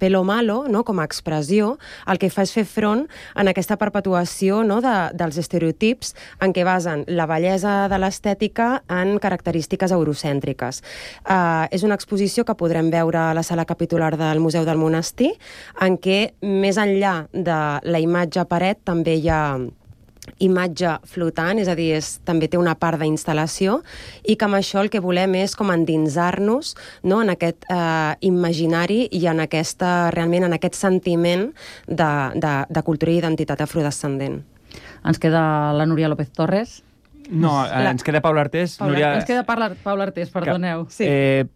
Pelo Malo, no? Com a expressió, el que fa és fer front en aquesta perpetuació, no? dels estereotips en què basen la bellesa de l'estètica en característiques eurocèntriques. És una exposició que podrem veure a la sala capitular del Museu del Monestir, en què, més enllà de la imatge a paret, també hi ha imatge flotant, és a dir, també té una part d'instal·lació, i que amb això el que volem és com endinsar-nos, no? En aquest imaginari i realment en aquest sentiment de cultura i identitat afrodescendent. Ens queda la Núria López Torres. No, ens queda Paula Artés. Ens queda Paula Artés, perdoneu. Sí.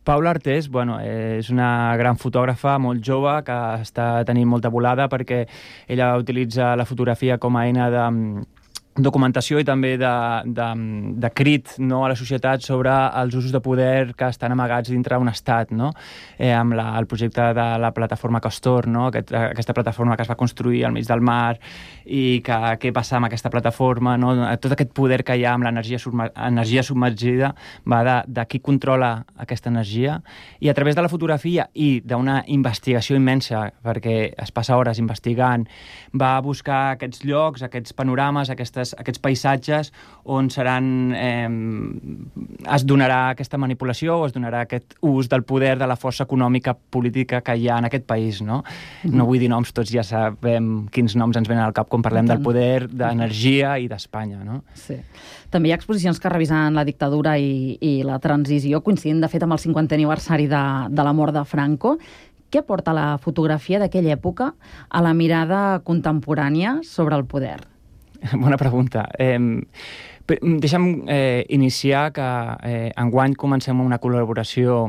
Paula Artés, és una gran fotògrafa molt jove que està tenint molta volada perquè ella utilitza la fotografia com a eina documentació i també de crit, no, a la societat sobre els usos de poder que estan amagats dintre d'un estat, no? Amb el projecte de la plataforma Castor, no? Aquesta plataforma que es va construir al mig del mar i què passa amb aquesta plataforma, no? Tot aquest poder que hi ha amb l'energia submergida va de qui controla aquesta energia, i a través de la fotografia i d'una investigació immensa, perquè es passa hores investigant, va buscar aquests llocs, aquests panorames, aquests paisatges on es donarà aquesta manipulació o es donarà aquest ús del poder, de la força econòmica política que hi ha en aquest país, no? No vull dir noms, tots ja sabem quins noms ens venen al cap quan parlem del poder, d'energia i d'Espanya, no? Sí. També hi ha exposicions que revisen la dictadura i la transició, coincidint de fet amb el 50è aniversari de la mort de Franco. Què aporta la fotografia d'aquella època a la mirada contemporània sobre el poder? Bona pregunta. Deixa'm iniciar que enguany comencem una col·laboració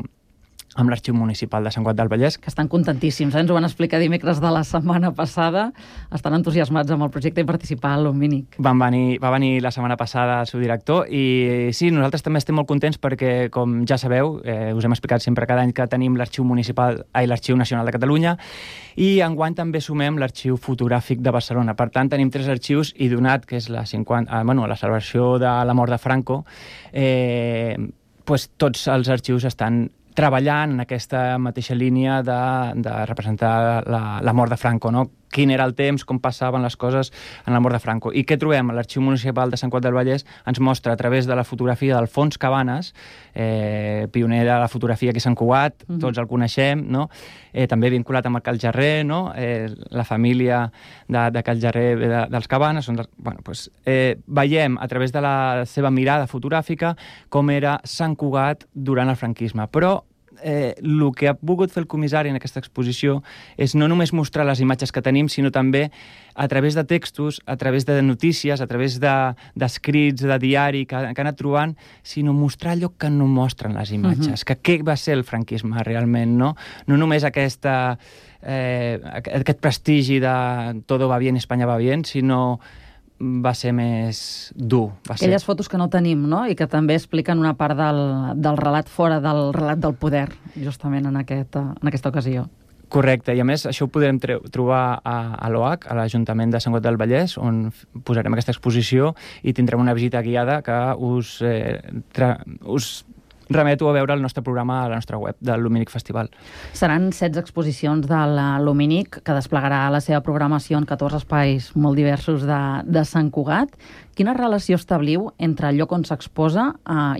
amb l'Arxiu Municipal de Sant Cugat del Vallès. Que estan contentíssims, ens ho van explicar dimecres de la setmana passada. Estan entusiasmats amb el projecte i participar a l'Omínic. Va venir la setmana passada el seu director i sí, nosaltres també estem molt contents perquè, com ja sabeu, us hem explicat sempre cada any que tenim l'Arxiu Nacional de Catalunya i enguany també sumem l'Arxiu Fotogràfic de Barcelona. Per tant, tenim 3 arxius i donat que és la celebració de la mort de Franco, tots els arxius estan treballant en aquesta mateixa línia de representar la mort de Franco, no? Quin era el temps, com passaven les coses en la mort de Franco. I què trobem? L'Arxiu Municipal de Sant Cugat del Vallès ens mostra a través de la fotografia d'Alfons Cabanes, pioner de la fotografia aquí a Sant Cugat, tots el coneixem, no? També vinculat amb el Cal Jarrer, no? La família de Cal Jarrer dels Cabanes. Veiem a través de la seva mirada fotogràfica com era Sant Cugat durant el franquisme. Però el que ha volgut fer el comissari en aquesta exposició és no només mostrar les imatges que tenim, sinó també a través de textos, a través de notícies, a través d'escrits, de diari que han anat trobant, sinó mostrar allò que no mostren les imatges, que què va ser el franquisme realment, no? No només aquest prestigi de todo va bien, Espanya va bien, sinó va ser més dur. Aquelles fotos que no tenim, no? I que també expliquen una part del relat fora del relat del poder, justament en aquesta ocasió. Correcte, i a més això ho podrem trobar a l'OAC, a l'Ajuntament de Sant Cugat del Vallès, on posarem aquesta exposició i tindrem una visita guiada que us remeto a veure el nostre programa a la nostra web del l'Omínic Festival. Seran 16 exposicions de l'Omínic, que desplegarà la seva programació en 14 espais molt diversos de Sant Cugat. Quina relació establiu entre el lloc on s'exposa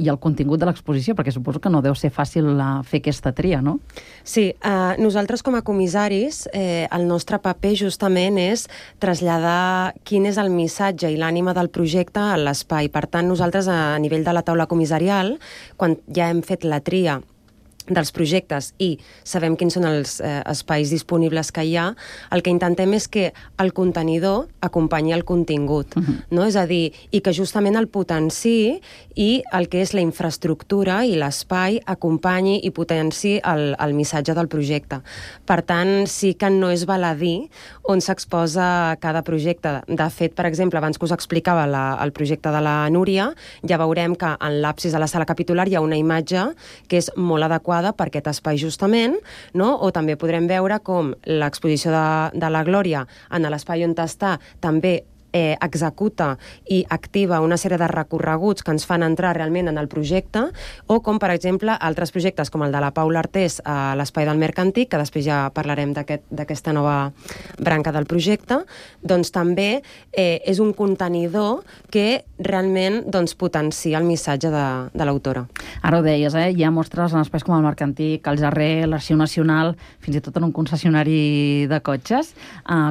i el contingut de l'exposició? Perquè suposo que no deu ser fàcil fer aquesta tria, no? Sí, nosaltres com a comissaris, el nostre paper justament és traslladar quin és el missatge i l'ànima del projecte a l'espai. Per tant, nosaltres a nivell de la taula comissarial, quan ja hem fet la tria dels projectes i sabem quins són els espais disponibles que hi ha, el que intentem és que el contenidor acompanyi el contingut, no? És a dir, i que justament el potenciï i el que és la infraestructura i l'espai acompanyi i potenciï el missatge del projecte. Per tant, sí que no és baladí on s'exposa cada projecte. De fet, per exemple, abans que us explicava el projecte de la Núria, ja veurem que en l'absis de la sala capitular hi ha una imatge que és molt adequada per aquest espai justament, no? O també podrem veure com l'exposició de la Glòria en l'espai on està també executa i activa una sèrie de recorreguts que ens fan entrar realment en el projecte, o com, per exemple, altres projectes com el de la Paula Artés a l'Espai del Mercantic, que després ja parlarem d'aquesta nova branca del projecte, doncs també és un contenidor que realment potencia el missatge de l'autora. Ara ho deies, hi ha mostres en espais com el Mercantic, el Jarrer, l'Arxiu Nacional, fins i tot en un concessionari de cotxes.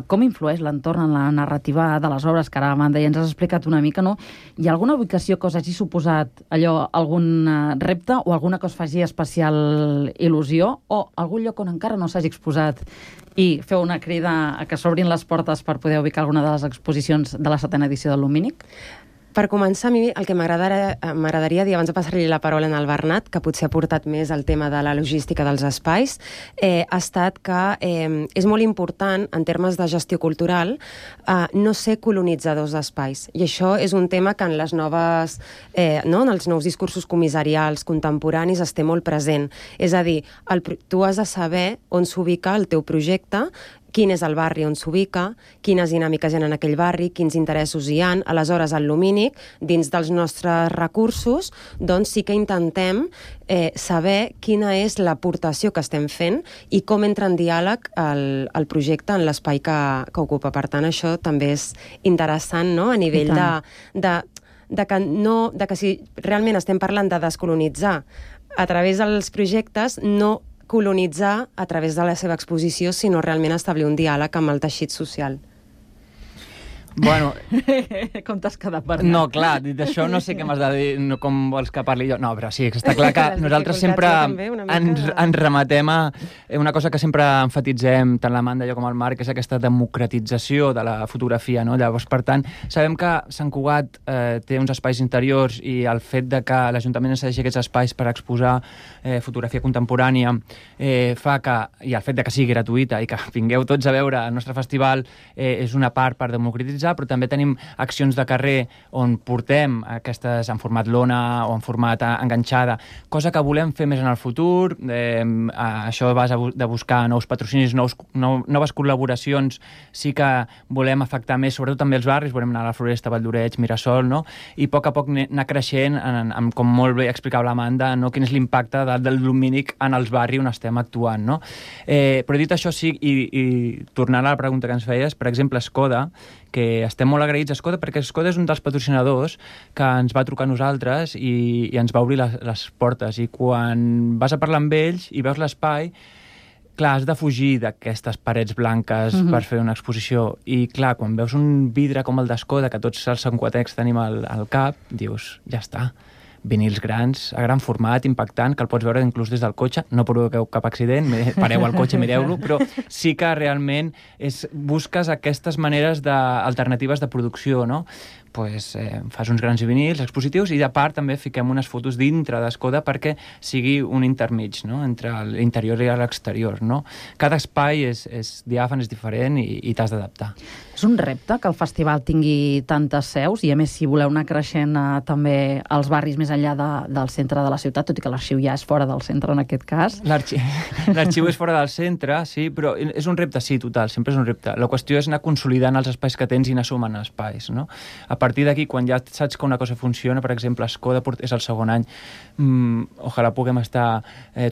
Com influeix l'entorn en la narrativa de les obres, que ara, Amanda, ja ens has explicat una mica, no? Hi ha alguna ubicació que us hagi suposat algun repte o alguna que us faci especial il·lusió, o algun lloc on encara no s'hagi exposat i feu una crida a que s'obrin les portes per poder ubicar alguna de les exposicions de la 7a edició de l'Omínic? Per començar, a mi el que m'agradaria dir, abans de passar-li la paraula al Bernat, que potser ha portat més el tema de la logística dels espais, ha estat que és molt important, en termes de gestió cultural, no ser colonitzadors d'espais. I això és un tema que en les noves, en els nous discursos comissarials contemporanis es té molt present. És a dir, tu has de saber on s'ubica el teu projecte, quin és el barri on s'ubica, quines dinàmiques hi ha en aquell barri, quins interessos hi ha. Aleshores, al Lumínic, dins dels nostres recursos, doncs sí que intentem saber quina és l'aportació que estem fent i com entra en diàleg el projecte en l'espai que ocupa. Per tant, això també és interessant, no?, a nivell de que si realment estem parlant de descolonitzar a través dels projectes, no colonitzar a través de la seva exposició, sinó realment establir un diàleg amb el teixit social. Bueno... Com t'has quedat, Bernat? No, clar, dit això no sé què m'has de dir, no, com vols que parli jo. No, però sí, està clar que nosaltres sempre ens rematem a una cosa que sempre enfatitzem, tant l'Amanda, jo com el Marc, és aquesta democratització de la fotografia, no? Llavors, per tant, sabem que Sant Cugat té uns espais interiors i el fet de que l'Ajuntament ens cedeixi aquests espais per exposar fotografia contemporània fa que, i el fet de que sigui gratuïta i que vingueu tots a veure el nostre festival és una part per democratitzar, però també tenim accions de carrer on portem aquestes en format lona o en format enganxada, cosa que volem fer més en el futur. Això vas de buscar nous patrocinis, noves col·laboracions, sí que volem afectar més, sobretot també els barris, volem anar a la Floresta, Vall d'Oreig, Mirasol, no? I a poc anar creixent, com molt bé explicava l'Amanda, no? Quin és l'impacte del Lumínic en els barris on estem actuant, no? Però dit això, sí, i tornant a la pregunta que ens feies, per exemple, Skoda, que estem molt agraïts a Skoda, perquè Skoda és un dels patrocinadors que ens va trucar a nosaltres i ens va obrir les portes. I quan vas a parlar amb ells i veus l'espai, clar, has de fugir d'aquestes parets blanques per fer una exposició. I clar, quan veus un vidre com el d'Skoda, que tots els santcugatencs tenim al cap, dius, ja està. Vinils grans, a gran format, impactant, que el pots veure inclús des del cotxe. No provoqueu cap accident, pareu al cotxe, mireu-lo, però sí que realment busques aquestes maneres alternatives de producció, no? Fas uns grans vinils expositius i, a part, també fiquem unes fotos dintre d'Skoda perquè sigui un intermig, no?, entre l'interior i l'exterior, no? Cada espai és diàfan, és diferent i t'has d'adaptar. És un repte que el festival tingui tantes seus i, a més, si voleu anar creixent també als barris més enllà del centre de la ciutat, tot i que l'arxiu ja és fora del centre en aquest cas. L'arxiu és fora del centre, sí, però és un repte, sí, total, sempre és un repte. La qüestió és anar consolidant els espais que tens i anar sumant espais, no? A partir d'aquí, quan ja saps que una cosa funciona, per exemple, Skoda és el segon any, ojalà puguem estar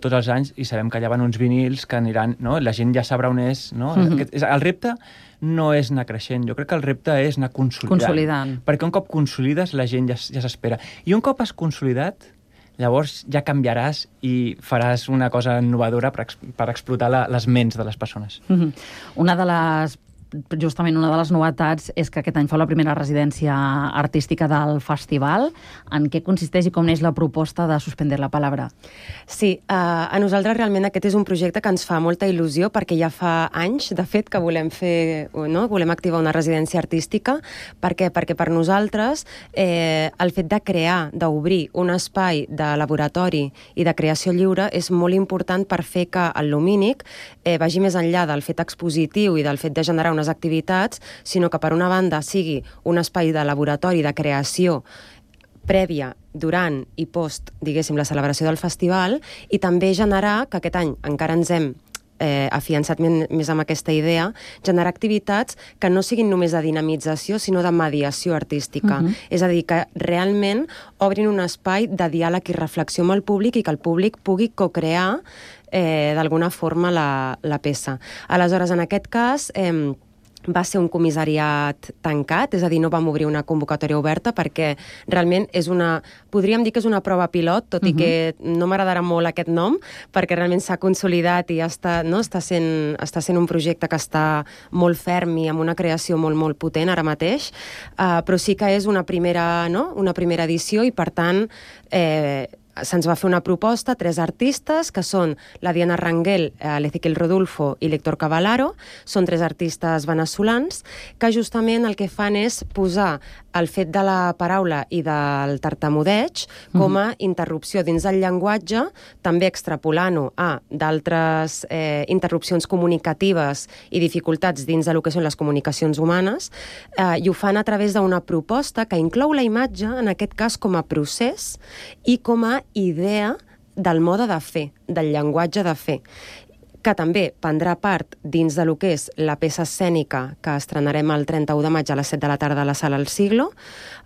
tots els anys i sabem que allà van uns vinils que aniran, no? La gent ja sabrà on és, no? El repte no és anar creixent, jo crec que el repte és anar consolidant. Perquè un cop consolides, la gent ja s'espera. I un cop has consolidat, llavors ja canviaràs i faràs una cosa innovadora per explotar les ments de les persones. Justament una de les novetats és que aquest any fa la primera residència artística del festival. En què consisteix i com neix la proposta de Suspender la Palabra? Sí, a nosaltres realment aquest és un projecte que ens fa molta il·lusió perquè ja fa anys, de fet, que volem volem activar una residència artística. Per què? Perquè per nosaltres el fet de crear, d'obrir un espai de laboratori i de creació lliure és molt important per fer que el Lumínic vagi més enllà del fet expositiu i del fet de generar unes activitats, sinó que per una banda sigui un espai de laboratori de creació prèvia, durant i post, diguéssim, la celebració del festival, i també generar, que aquest any encara ens hem afiançat més amb aquesta idea, generar activitats que no siguin només de dinamització, sinó de mediació artística. És a dir, que realment obrin un espai de diàleg i reflexió amb el públic i que el públic pugui co-crear d'alguna forma la peça. Aleshores, en aquest cas, va ser un comissariat tancat, és a dir, no vam obrir una convocatòria oberta perquè realment podríem dir que és una prova pilot, tot i que no m'agradarà molt aquest nom, perquè realment s'ha consolidat i està sent un projecte que està molt ferm i amb una creació molt, molt potent ara mateix, però sí que és una primera edició i, per tant, se'ns va fer una proposta, 3 artistes, que són la Diana Rangel, l'Ezequiel Rodulfo i l'Héctor Cavallaro. Són 3 artistes venezolans que justament el que fan és posar el fet de la paraula i del tartamudeig com a interrupció dins del llenguatge, també extrapolant-ho a d'altres interrupcions comunicatives i dificultats dins del que són les comunicacions humanes, i ho fan a través d'una proposta que inclou la imatge, en aquest cas com a procés i com a idea del mode de fer, del llenguatge de fer, que també prendrà part dins de lo que és la peça escènica que estrenarem el 31 de maig a les 7 de la tarda a la Sala El Siglo,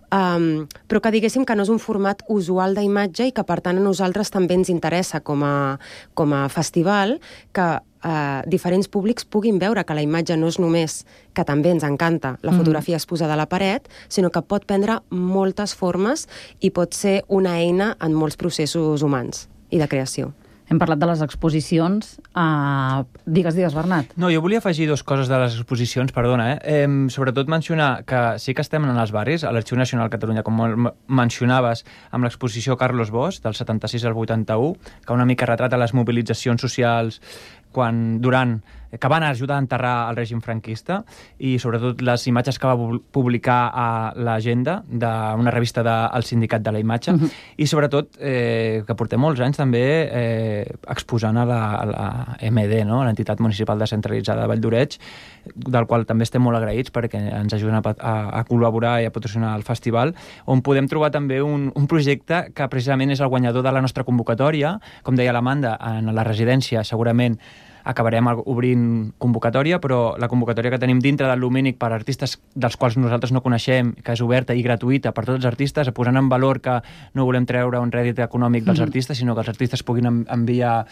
però que diguéssim que no és un format usual d'imatge i que per tant a nosaltres també ens interessa com a festival que diferents públics puguin veure que la imatge no és només que també ens encanta la fotografia exposada a la paret, sinó que pot prendre moltes formes i pot ser una eina en molts processos humans i de creació. Hem parlat de les exposicions. Digues, Bernat. No, jo volia afegir 2 coses de les exposicions, perdona. Sobretot mencionar que sí que estem en els barris, a l'Arxiu Nacional de Catalunya, com mencionaves, amb l'exposició Carlos Bosch, del 76 al 81, que una mica retrata les mobilitzacions socials que van ajudar a enterrar el règim franquista, i sobretot les imatges que va publicar a l'Agenda, d'una revista del Sindicat de la Imatge, i sobretot que portem molts anys també exposant a la MD, no? L'entitat municipal descentralitzada de Valldoreix, del qual també estem molt agraïts perquè ens ajuden a col·laborar i a patrocinar el festival, on podem trobar també un projecte que precisament és el guanyador de la nostra convocatòria. Com deia l'Amanda, en la residència segurament acabarem obrint convocatòria, però la convocatòria que tenim dintre del Lumínic per artistes dels quals nosaltres no coneixem, que és oberta i gratuïta per tots els artistes, posant en valor que no volem treure un rèdit econòmic dels artistes, sinó que els artistes puguin enviar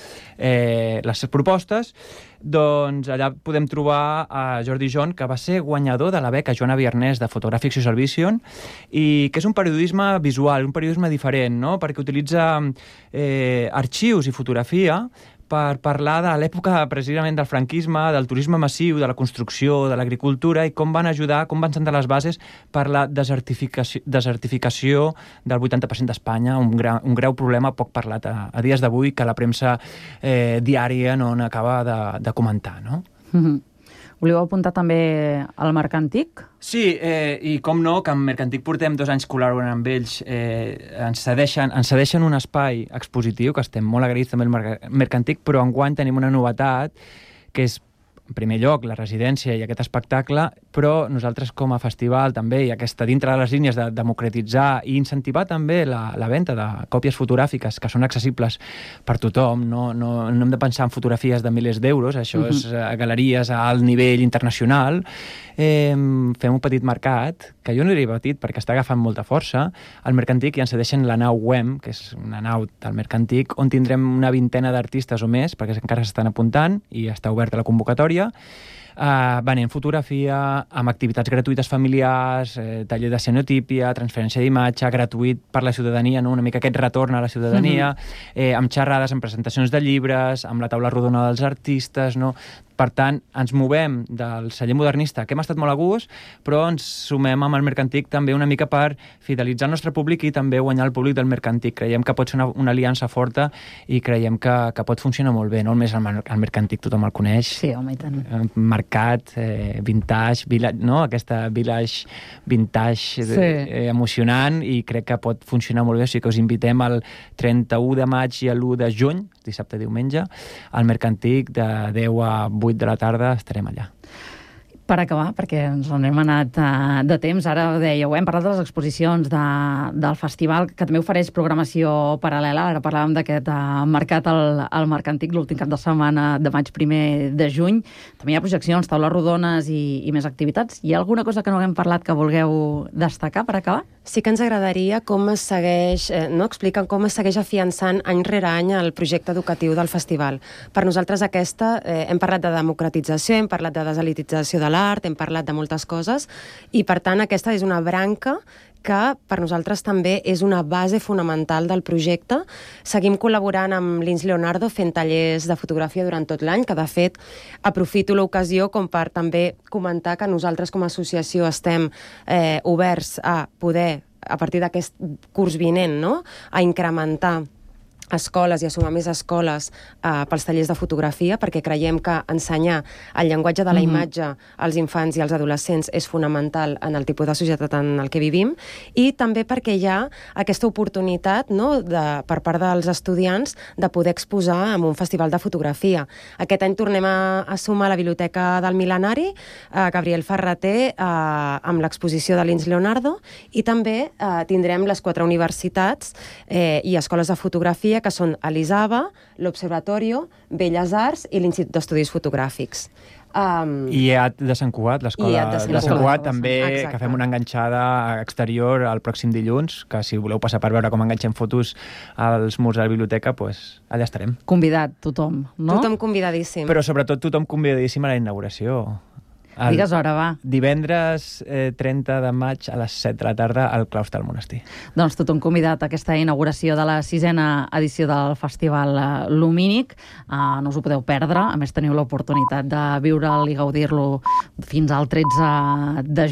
les propostes, doncs allà podem trobar a Jordi John, que va ser guanyador de la beca Joana Viernès de Photographic Social Vision, i que és un periodisme visual, un periodisme diferent, no? Perquè utilitza arxius i fotografia per parlar de l'època precisament del franquisme, del turisme massiu, de la construcció, de l'agricultura, i com van ajudar, com van sentar les bases per la desertificació del 80% d'Espanya, un greu problema poc parlat a dies d'avui, que la premsa diària no n'acaba de comentar, no? Volíeu apuntar també al Mercantic? Sí, i com no, que en Mercantic portem 2 anys col·laborant amb ells, ens cedeixen un espai expositiu, que estem molt agraïts també al Mercantic, però enguany tenim una novetat, que és, en primer lloc, la residència i aquest espectacle, però nosaltres com a festival també, i aquesta dintre de les línies de democratitzar i incentivar també la venda de còpies fotogràfiques que són accessibles per tothom, no hem de pensar en fotografies de milers d'euros, això és galeries a alt nivell internacional. Fem un petit mercat, que jo no diria petit perquè està agafant molta força, al Mercantic, i ens cedeixen la nau WEM, que és una nau del Mercantic, on tindrem una 20ena d'artistes o més, perquè encara s'estan apuntant i està oberta la convocatòria, venent fotografia, amb activitats gratuïtes familiars, taller de cianotípia, transferència d'imatge, gratuït per la ciutadania, no? Una mica aquest retorn a la ciutadania, amb xerrades, amb presentacions de llibres, amb la taula rodona dels artistes, no? Per tant, ens movem del celler modernista, que hem estat molt a gust, però ens sumem amb el Mercantic també una mica per fidelitzar el nostre públic i també guanyar el públic del Mercantic. Creiem que pot ser una aliança forta i creiem que pot funcionar molt bé. No només el Mercantic tothom el coneix. Sí, home, i tant. Mercat, vintage, village, no? Aquesta village vintage emocionant, i crec que pot funcionar molt bé. O sigui que us invitem el 31 de maig i l'1 de juny, dissabte i diumenge, al Mercantic de 10 a 8 de la tarda estarem allà. Per acabar, perquè ens n'hem anat de temps, ara ho dèieu, hem parlat de les exposicions del festival, que també ofereix programació paral·lela. Ara parlàvem d'aquest mercat al Mercantic l'últim cap de setmana de maig, 1 de juny. També hi ha projeccions, taules rodones i més activitats. Hi ha alguna cosa que no haguem parlat que vulgueu destacar per acabar? Sí que ens agradaria com es segueix, expliquen com es segueix afiançant any rere any el projecte educatiu del festival. Per nosaltres hem parlat de democratització, hem parlat de deselitització de l'art, hem parlat de moltes coses, i per tant aquesta és una branca que per nosaltres també és una base fonamental del projecte. Seguim col·laborant amb l'Ins Leonardo fent tallers de fotografia durant tot l'any, que de fet aprofito l'ocasió com per també comentar que nosaltres com a associació estem oberts a poder, a partir d'aquest curs vinent, no? A incrementar escoles i a sumar més escoles pels tallers de fotografia, perquè creiem que ensenyar el llenguatge de la imatge als infants i als adolescents és fonamental en el tipus de societat en el que vivim, i també perquè hi ha aquesta oportunitat, no, per part dels estudiants de poder exposar en un festival de fotografia. Aquest any tornem a sumar la Biblioteca del Mil·lenari, Gabriel Ferrater, amb l'exposició de Lins Leonardo, i també tindrem les 4 universitats i escoles de fotografia, que són l'ISABA, l'Observatorio, Belles Arts i l'Institut d'Estudis Fotogràfics. IEAT de Sant Cugat, l'escola de Sant Cugat també, exacte, que fem una enganxada exterior el pròxim dilluns, que si voleu passar per veure com enganxem fotos als murs de la biblioteca, pues allà estarem. Convidat tothom, no? Tothom convidadíssim. Però sobretot tothom convidadíssim a la inauguració. Digues hora, va. Divendres 30 de maig a les 7 de la tarda al claustre del monestir. Doncs tothom convidat a aquesta inauguració de la 6a edició del Festival Lumínic. No us ho podeu perdre. A més, teniu l'oportunitat de viure'l i gaudir-lo fins al 13 de